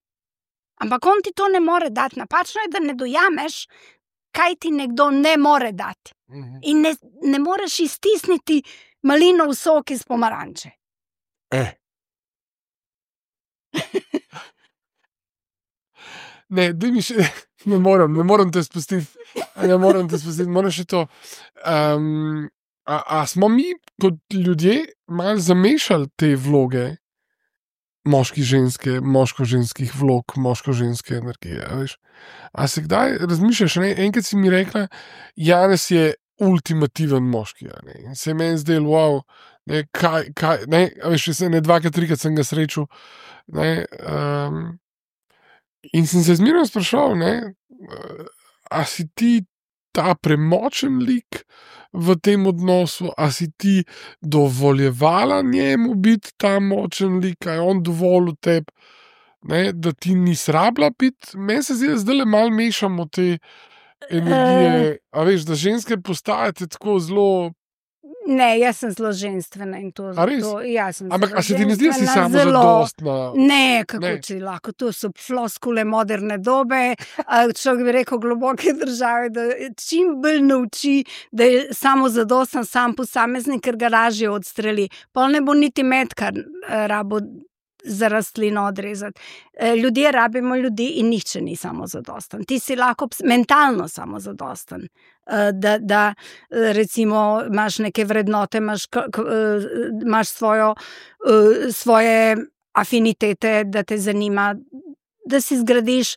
ampak on ti to ne more dati. Napačno je, da ne dojameš, kaj ti nekdo ne more dati. In ne moreš iztisniti malinov sok iz pomaranče. Ne moram te spustiti. Moram še to. A smo mi kot ljudje malo zamešali te vloge moški-ženske, moško-ženskih vlog, moško-ženske energije, veš? A se kdaj razmišljaš, ne? Enkrat si mi rekla, Janez je ultimativen moški, ne? In se je meni zdel, wow, ne, kaj, ne, veš, ne, 2-3 sem ga srečal, ne, in sem se zmeraj sprašal, ne, a si ti ta premočen lik v tem odnosu, a si ti dovoljevala njemu biti ta močen lik, a je on dovolil tebi, ne, da ti nisi rabila biti. Meni se zdi, da zdaj malo mešamo te energije, a veš, da ženske postajate tako zelo... Ne, jaz sem zelo ženstvena in to... A res? Ampak a se ti ne zdi, da si samo zadostna? Ne, kako ti lahko, to so floskule moderne dobe, človek bi rekel globoke države, da čim bolj nauči, da je samo zadostan sam posameznik, ker ga lažje odstreli. Pol ne bo niti metkar rabo za rastlino odrezati. Ljudje rabimo ljudi in nihče ni samozadostan. Ti si lahko mentalno samozadostan. Da recimo imaš neke vrednote, imaš svoje afinitete, da te zanima, da si zgradiš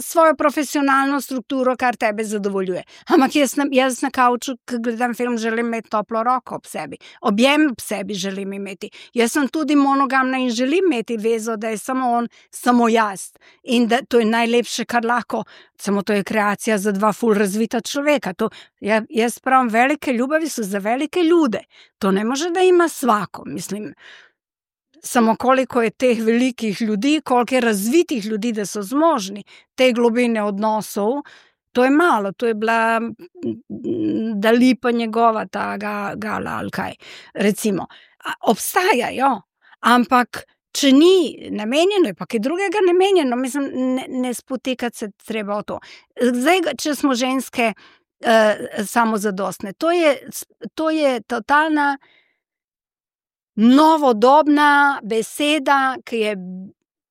svojo profesionalno strukturo, kar tebe zadovoljuje. Ampak jaz na kavču, ko gledam film, želim imeti toplo roko ob sebi. Objem ob sebi želim imeti. Jaz sem tudi monogamna in želim imeti vezo, da je samo on, samo jaz. In da to je najlepše, kar lahko. Samo to je kreacija za dva ful razvita človeka. Jaz pravim, velike ljubavi so za velike ljude. To ne može da ima svako, mislim. Samo koliko je teh velikih ljudi, koliko je razvitih ljudi, da so zmožni te globine odnosov, to je malo, to je bila Dali pa njegova ta gala ali kaj, recimo. Obstajajo, ampak če ni namenjeno, je pa kaj drugega namenjeno, mislim, ne spotikati se treba o to. Zdaj, če smo ženske samozadostne, to je totalna novodobna beseda, ki je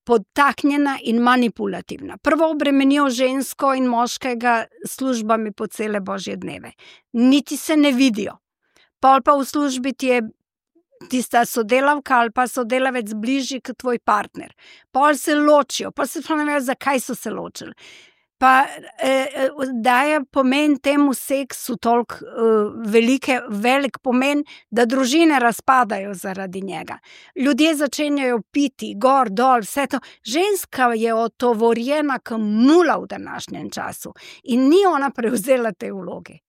podtaknjena in manipulativna. Prvo obremenijo žensko in moškega službami po cele božje dneve. Niti se ne vidijo. pol pa v službi ti je tista sodelavka ali pa sodelavec bližji kot tvoj partner. Pol se ločijo, pa se ne vejo, zakaj so se ločili. Pa daje pomen temu seksu toliko velik pomen, da družine razpadajo zaradi njega. Ljudje začenjajo piti, gor, dol, vse to. Ženska je otovorjena kot mula v današnjem času in ni ona prevzela te vloge.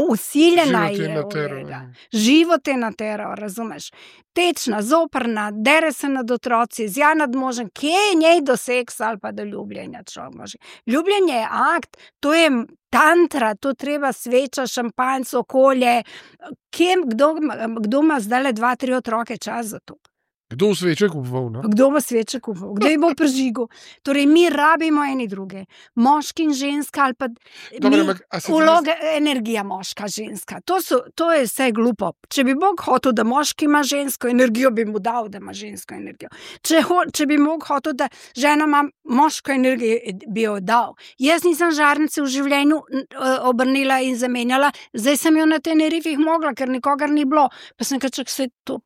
Usiljena je živo te natero, razumeš? Tečna, zoprna, dere se nad otroci, zja nad možem, kje je njej do seksa ali pa do ljubljenja človek može. Ljubljenje je akt, to je tantra, to treba sveča, šampanjc, okolje. Kdo ima zdaj 2-3 otroke čas za to? Kdo v sveče kupoval? Kdo bo sveče kupoval? Kdo je bo prižigal? Torej, mi rabimo eni druge. Moški in ženska ali pa vloga, energija moška, ženska. To je vse glupo. Če bi Bog hotel, da moški ima žensko energijo, bi mu dal, da ima žensko energijo. Če bi Bog hotel, da žena ima moško energijo, bi jo dal. Jaz nisem žarnice v življenju obrnila in zamenjala, zdaj sem jo na Tenerifih mogla, ker nikogar ni bilo. Pa sem kačak se to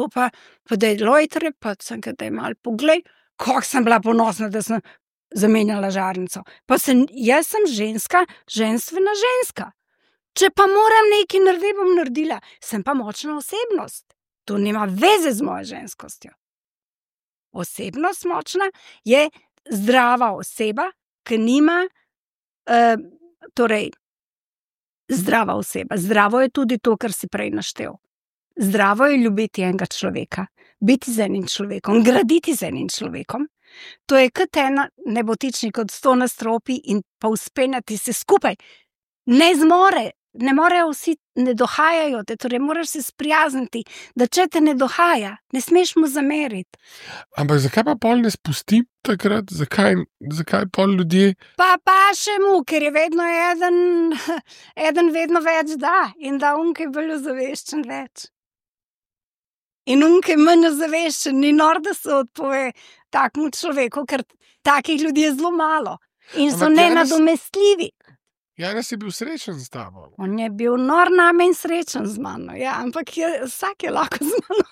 pa da je lojtre, pa sem da je malo poglej, kako sem bila ponosna, da sem zamenjala žarnico. Jaz sem ženska, ženstvena ženska. Če pa moram nekaj narediti, bom naredila. Sem pa močna osebnost. To nima veze z mojo ženskostjo. Osebnost močna je zdrava oseba, ki nima, zdrava oseba. Zdravo je tudi to, kar si prej naštel. Zdravo je ljubiti enega človeka, biti z enim človekom, graditi z enim človekom. To je kot ena nebotičnik od 100 nastropi in pa uspenjati se skupaj. Ne morejo vsi, ne dohajajo te, torej moraš se sprijazniti, da če te ne dohaja, ne smeš mu zameriti. Ampak zakaj pa pol ne spusti takrat? Zakaj pol ljudje? Pa še mu, ker je vedno eden vedno več da in da unke bolj ozaveščen več. In unke manj ozaveščen, ni nor, da se odpove takmu človeku, ker takih ljudi je zelo malo in so nenadomestljivi. Janez je bil srečen z tabo. On je bil nor name in srečen z mano, ja, ampak vsak je lahko z mano.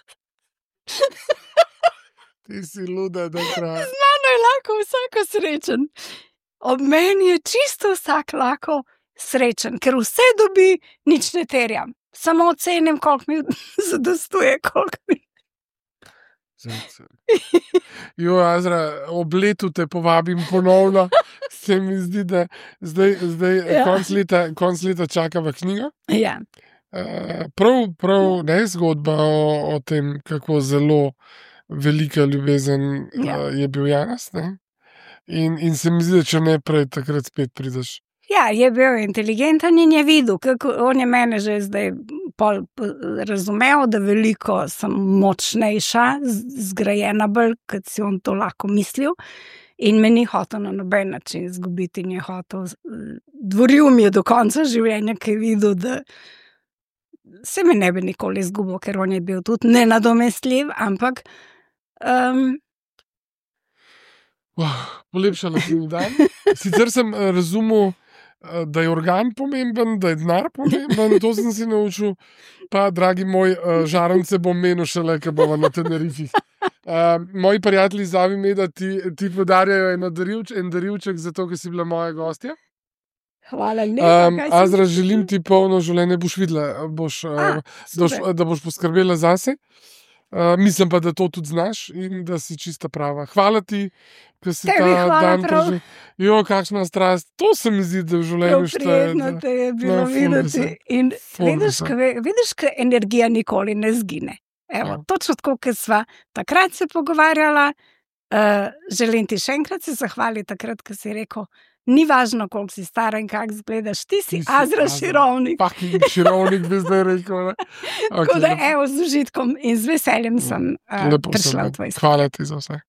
Ti si luda, da pravi. Z mano je lahko vsako srečen. Ob meni je čisto vsak lahko srečen, ker vse dobi, nič ne terjam. Samo ocenim, koliko mi zadostuje, koliko mi. Azra, ob letu te povabim ponovno. Se mi zdi, da zdaj konc leta čakava knjigo. Ja. Prav ne zgodba o tem, kako zelo velika ljubezen je bil Janez. In se mi zdi, da če ne prej, takrat spet prideš. Ja, je bil inteligenten in je videl, kako on je mene že zdaj razumel, da veliko sem močnejša, zgrajena bolj, kot si on to lahko mislil. In me ni hotel na noben način izgubiti in je hotel. Dvoril mi je do konca življenja, ki je videl, da se me ne bi nikoli izgubil, ker on je bil tudi nenadomestljiv, ampak polepšala si mi dan. Sicer sem razumel, da je organ pomemben, da je denar pomemben, to sem si naučil. Pa, dragi moj, žarnice bom menil šele, ko bova na Tenerifih. Moji prijatelji zavi me, da ti podarjajo en darilček za to, ker si bila moja gostja. Hvala lepa. Azra, želim ti polno življenje, boš videla, da boš poskrbela zase. Mislim pa, da to tudi znaš in da si čista prava. Hvala ti, ker si ta dan preživel. Kakšna strast. To se mi zdi, da v življenju šteje. Prijetno te je bilo videti. In vidiš, ker energija nikoli ne zgine. Evo, točno tako, ker sva takrat se pogovarjala. Želim ti še enkrat se zahvaliti takrat, ker si rekel, ni važno, koliko si stara in kako izgledaš. Ti si Azra Širovnik. Širovnik bi zdaj rekel. Tako da, z užitkom in z veseljem sem prišla v tvoj svet. Hvala ti za vse.